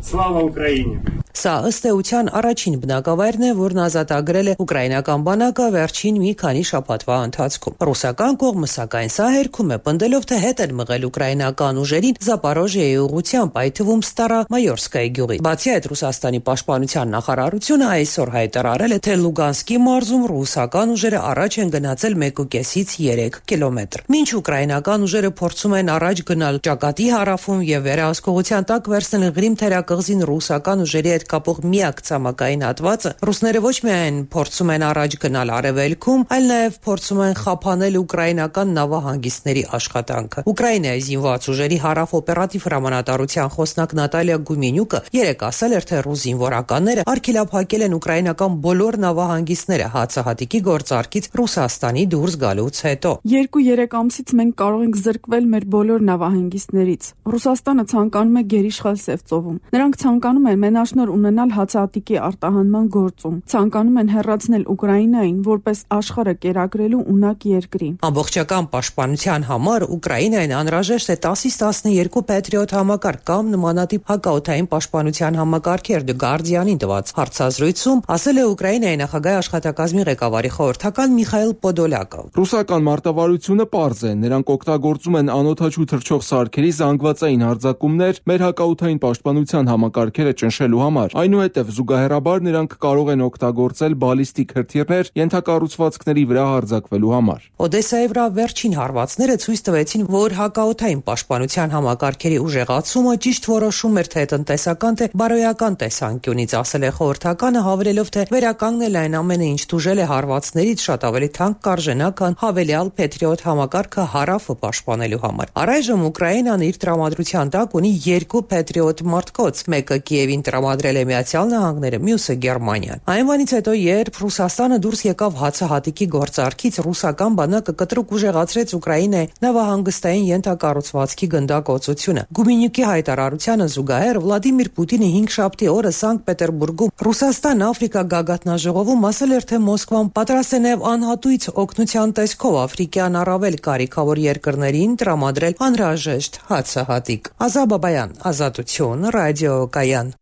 Слава Украине։
Սա ըստ էության առաջին բնակավայրն է, որն ազատագրել է ուկրաինական բանակը վերջին մի քանի շաբաթվա ընթացքում։ Ռուսական կողմը սակայն սա հերքում է, պնդելով, թե հետ են մղել ուկրաինական ուժերին Զապորոժիայի ուղղությամբ, այդ թվում Ստարամայորսկայի գյուղի։ Բացի այդ, Ռուսաստանի պաշտպանության նախարարությունը այսօր հայտարարել է, թե Լուգանսկի մարզում ռուսական ուժերը առաջ են գնացել մեկուկեսից երեք կիլոմետր։ Մինչ ուկրաինական ուժերը փորձում են առաջ գնալ ճակատի հարավում եւ վերահսկողության տակ վերցնել Ղրիմ թերակղզին ռուսական ուժերի հետ կապող միակ ցամաքային հատվածը, ռուսները ոչ միայն փորձում են առաջ գնալ արևելքում, այլ նաև փորձում են խափանել ուկրաինական նավահանգիստների աշխատանքը։ Ուկրաինայի զինված ուժերի հարավ օպերատիվ հրամանատարության խոսնակ Նատալիա Գումենյուկը երեկ ասել էր, թե ռուս զինվորականները արգելափակել են ուկրաինական բոլոր նավահանգիստները հացահատիկի գործարքից Ռուսաստանի դուրս գալուց հետո։
Երկու-երեք ամսից մենք կարող ենք զրկվել մեր բոլոր նավահանգիստներից։ Ռուսաստանը ցանկանում է գերիշխալ Սևծովում։ Նրանք ցանկանում են մենաշնոր ունենալ հացահատիկի արտահանման գործում, ցանկանում են հեռացնել Ուկրաինային որպես աշխարհը կերակրելու ունակ երկրի։
Ամբողջական պաշտպանության համար Ուկրաինային անհրաժեշտ է տասից տասներկու Patriot համակարգ կամ նմանատիպ հակաօդային պաշտպանության համակարգեր։ The Guardian-ին տված հարցազրույցում ասել է Ուկրաինայի նախագահի աշխատակազմի ղեկավարի խորհրդական Միխայիլ Պոդոլյակը։
Ռուսական մարտավարությունը պարզ է, նրանք օգտագործում են անօթաչու թռչող սարքերի զանգվածային հարձակումներ մեր հակաօդային պաշտպանության համակարգերը ճնշելու համար։ Այնուհետև զուգահեռաբար նրանք կարող են օգտագործել բալիստիկ հրթիռներ ենթակառուցվածքների վրա հարձակվելու համար։
Օդեսայի վրա վերջին հարվածները ցույց տվեցին, որ հակաօդային պաշտպանության համակարգերի ուժեղացումը ճիշտ որոշում էր թե տնտեսական, թե բարոյական տեսանկյունից, ասել է խորհրդականը, հավելելով, թե վերականգնել այն ամենը, ինչ դուժել է հարվածներից, շատ ավելի թանկ կարժենա, քան հավելյալ Patriot համակարգը հարավը պաշտպանելու համար։ Առայժմ Ուկրաինան իր տրամադրության տակ ունի երկու Patriot մարտկոց, մեկը Կիևին տրամադրել է Միացյալ Նահանգները, մյուսը Գերմանիան։ Այն բանից հետո, երբ Ռուսաստանը դուրս եկավ հացահատիկի գործարքից, ռուսական բանակը կտրուկ ուժեղացրեց Ուկրաինայի նավահանգստային ենթակառուցվածքի գնդակոծությունը։ Գումենյուկի հայտարարությանը զուգահեռ Վլադիմիր Պուտինը հինգշաբթի օրը Սանկտ Պետերբուրգում Ռուսաստան-Աֆրիկա գագաթնաժողովում ասել էր, թե Մոսկվան պատրաստ է նաև անհատույց օգնության տեսքով աֆրիկյան առավել կարիքավոր երկրներին տրամադրել անհրաժեշտ հացահատիկ։ Ազաբաբայան, Ազատություն, Ռադիո Կայան։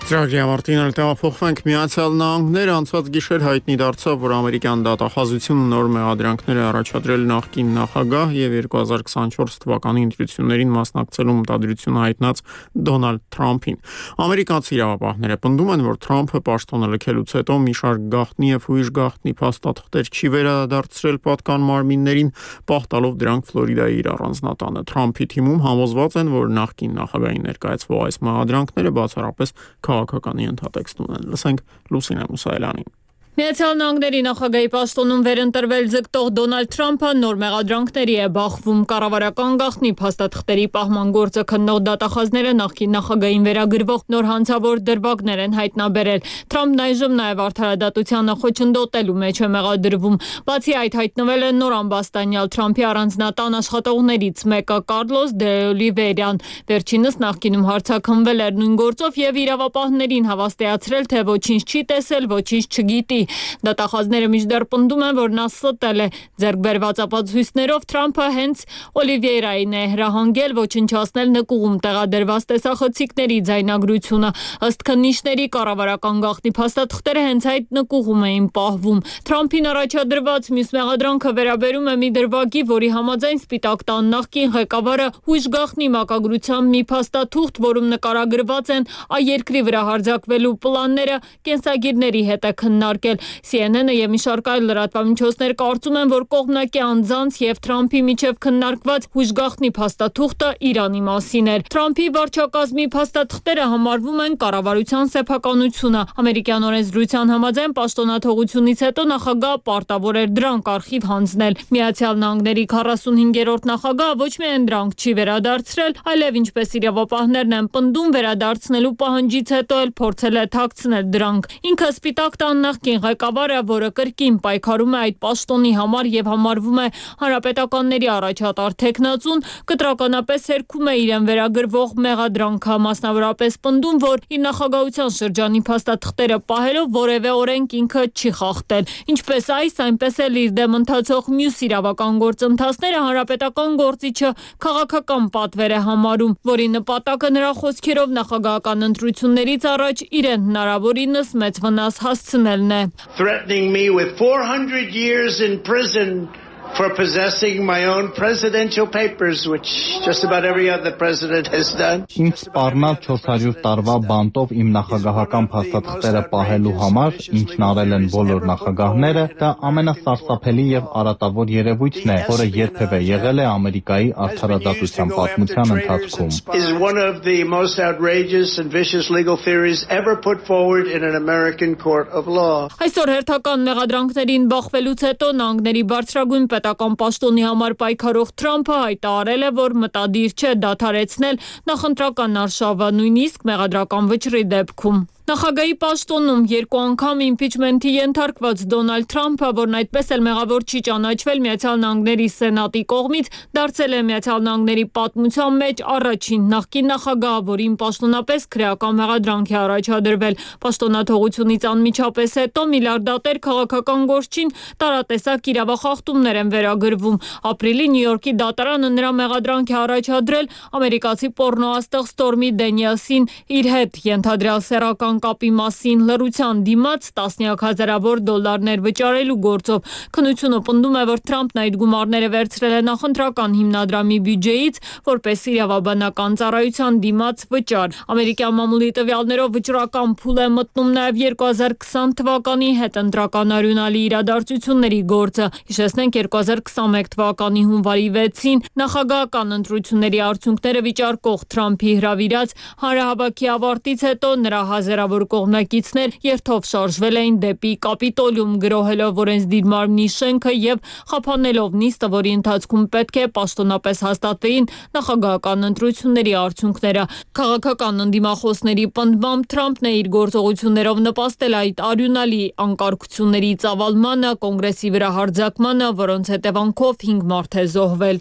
Ծրագրի ավարտին էլ տեղափոխվենք Միացյալ Նահանգները անցած գիշեր հայտնի դարձավ, որ ամերիկյան դատախազությունը նոր մեղադրանքներ է առաջադրել նախկին նախագահ եւ երկու հազար քսանչորս թվականի ընտրություններին մասնակցելու մտադրություն հայտնած Դոնալդ Թրամփին։ Ամերիկացի իրավապահները պնդում են, որ Թրամփը պաշտոնը լքելուց հետո մի շարք գաղտնի եւ հույժ գաղտնի փաստաթղթեր չի վերադարձրել պատկան մարմիններին, պահտալով դրանք Ֆլորիդայի իր առանձնատանը։ Թրամփի թիմում համոզված են, որ նախկին նախագահի ներկայացվող այս մեղադրանքները բացառապես քաղաքականի ընդհատեքստ ունեն։ Լսենք Լուսինե Մուսայելյանին։
Միացյալ Նահանգների նախագահի պաշտոնում վերընտրվել ձգտող Դոնալդ Թրամփը նոր մեղադրանքների է բախվում։ Կառավարական գաղտնի փաստաթղթերի պահման գործը քննող դատախազները նախկին նախագահին վերագրվող նոր հանցավոր դրվագներ են հայտնաբերել։ Թրամփն այժմ նաև արդարադատությանը խոչընդոտելու մեջ է մեղադրվում։ Բացի այդ, հայտնվել է նոր ամբաստանյալ Թրամփի առանձնատան աշխատողներից մեկը Կարլոս դե Օլիվերյան։ Վերջինս նախկինում հարցաքննվել էր նույն գործով եւ իրավապահներին հավաստիացրել, թե ոչինչ չի տեսել, ոչինչ չգիտի։ Դատախազները մինչդեռ պնդում են, որ նա ստել է ձեռք բերված ապացույցներով Թրամփը հենց Օլիվիերային է հրահանգել ոչնչացնել նկուղում տեղադրված տեսախցիկների ձայնագրությունը։ Ըստ քննիչների կառավարական գաղտնի փաստաթղթերը հենց այդ նկուղում էին պահվում։ Թրամփին առաջադրված մյուս մեղադրանքը վերաբերում է մի դրվագի, որի համաձայն Սպիտակ տան նախկին ղեկավարը հույժ գաղտնի մակագրությամբ մի փաստաթուղթ, որում նկարագրված են այերկրի վրա հարձակվելու պլանները, կենսագիրների հետ է քննարկել։ Սի Են Են-ը եւ մի շարք այլ լրատվամիջոցներ կարծում են, որ կողմնակի անձանց եւ Թրամփի միջև քննարկված հույժգաղտնի փաստաթուղթը Իրանի մասին էր։ Թրամփի վարչակազմի փաստաթղթերը համարվում են կառավարության սեփականությունը։ Ամերիկյան օրենսդրության համաձայն պաշտոնաթողությունից հետո նախագահը պարտավոր էր դրանք արխիվ հանձնել։ Միացյալ Նահանգների քառասունհինգերորդ նախագահը ոչ միայն դրանք չի վերադարձրել, այլև ինչպես իրավապահներն են պնդում, վերադարձնելու պահանջից հետո էլ փորձել է թաքցնել դրանք։ Ինքը Սպիտակ տան նախկին ղեկավարը, որը կրկին պայքարում է այդ պաշտոնի համար եւ համարվում է հանրապետականների առաջատար թեկնածուն, կտրականապես հերքում է իրեն վերագրվող մեղադրանքը, մասնավորապես պնդում, որ իր նախագահության շրջանի փաստաթղթերը պահելով որևէ օրենք ինքը չի խախտել։ Ինչպես այս, այնպես էլ իր դեմ ընթացող մյուս իրավական գործընթացները հանրապետական գործիչը քաղաքական պատվեր է համարում, որի նպատակը նրա խոսքերով նախագահական ընտրություններից առաջ իրեն հնարավորինս մեծ վնաս հասցնելն է։
Threatening me with four hundred years in prison for possessing my own presidential papers, which just about every other president has done.
Ինձ սպառնալ չորս հարյուր տարվա բանտով իմ նախագահական փաստաթղթերը պահելու համար, ինչն արել են բոլոր նախագահները, դա ամենասարսափելի եւ արատավոր երևույթն է, որը երբևէ եղել է Ամերիկայի արդարադատության պատմության ընթացքում։
Is one of the most outrageous and vicious legal theories ever put forward in an American court of law.
Այսօր հերթական մեղադրանքներին բախվելուց հետո նահանգների բարձրագույն պետական պաշտոնի համար պայքարող Թրամփը հայտարարել է, որ մտադիր չէ դադարեցնել նախընտրական արշավը, նույնիսկ մեղադրական վճռի դեպքում։ Նախագահի պաշտոնում երկու անգամ իմպիչմենթի ենթարկված Դոնալդ Թրամփը, որն այդպես էլ մեղավոր չի ճանաչվել Միացյալ Նահանգների Սենատի կողմից, դարձել է Միացյալ Նահանգների պատմության մեջ առաջին նախկին նախագահը, որին պաշտոնապես քրեական մեղադրանք է առաջադրվել։ Պաշտոնաթողությունից անմիջապես հետո միլիարդատեր քաղաքական գործչին տարատեսակ իրավախախտումներ են վերագրվում։ Ապրիլի Նյու Յորքի դատարանը նրա մեղադրանք է առաջադրել ամերիկացի պոռնոաստղ Ստորմի Դենիելսին իր հետ ենթադրյալ սեռական կապի մասին լռության դիմաց տասնյակ հազարավոր դոլարներ վճարելու գործով։ Քննությունը պնդում է, որ Թրամփն այդ գումարները վերցրել է նախընտրական հիմնադրամի բյուջեից, որպես իրավաբանական ծառայության դիմաց վճար։ Ամերիկյան մամուլի տվյալներով վճռական փուլ է մտնում նաև երկու հազար քսան թվականի հետընտրական արյունալի իրադարձությունների գործը։ Հիշեցնենք երկու հազար քսանմեկ թվականի հունվարի վեցին նախագահական ընտրությունների արդյունքները վիճարկող Թրամփի հրավիրած հանրահավաքի ավարտից հետո նրա հազարավոր կողմնակիցներ երթով շարժվել էին դեպի Կապիտոլիում, գրոհելով օրենսդիր մարմնի շենքը եւ խափանելով նիստը, որի ընթացքում պետք է պաշտոնապես հաստատվեին նախագահական ընտրությունների արդյունքները։ Քաղաքական ընդդիմախոսների պնդմամբ Թրամփն է իր գործողություններով նպաստել այդ արյունալի անկարգությունների ծավալմանը, կոնգրեսի վրա հարձակմանը, որոնց հետևանքով հինգ մարդ է զոհվել։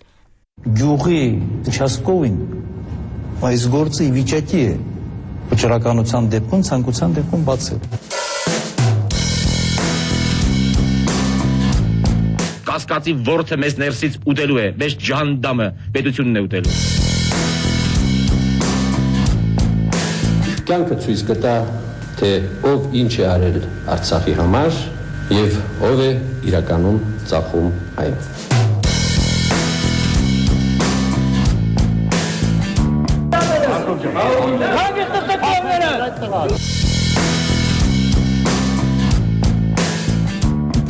Գյուղի участковին այս գործը ի վիճակի է վճռականության դեպքում, ցանկության դեպքում բացել։
Կասկածի ворթը մեզ ներսից ուտելու է, մեզ ջանդամը պետությունն է ուտելու։
կյանքը ցույց կտա, թե ով ինչ է արել Արցախի համար եւ ով է իրականում ծախում այն։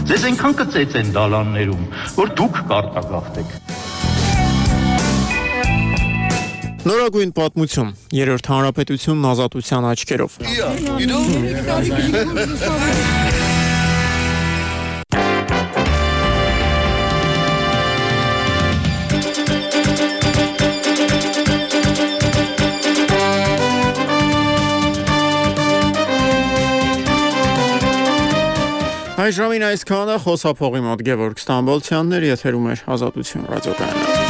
Ձեզ այնքան կծեց են դալաններում, որ դուք կարտագաղթեք։
Նորագույն պատմություն, երրորդ հանրապետությունն ազատության աչքերով։ Այս ժամին այսքանը, խոսափողի մոտ Գևորգ Ստամբոլցյանն էր, եթերում էր Ազատություն ռադիոկայանը։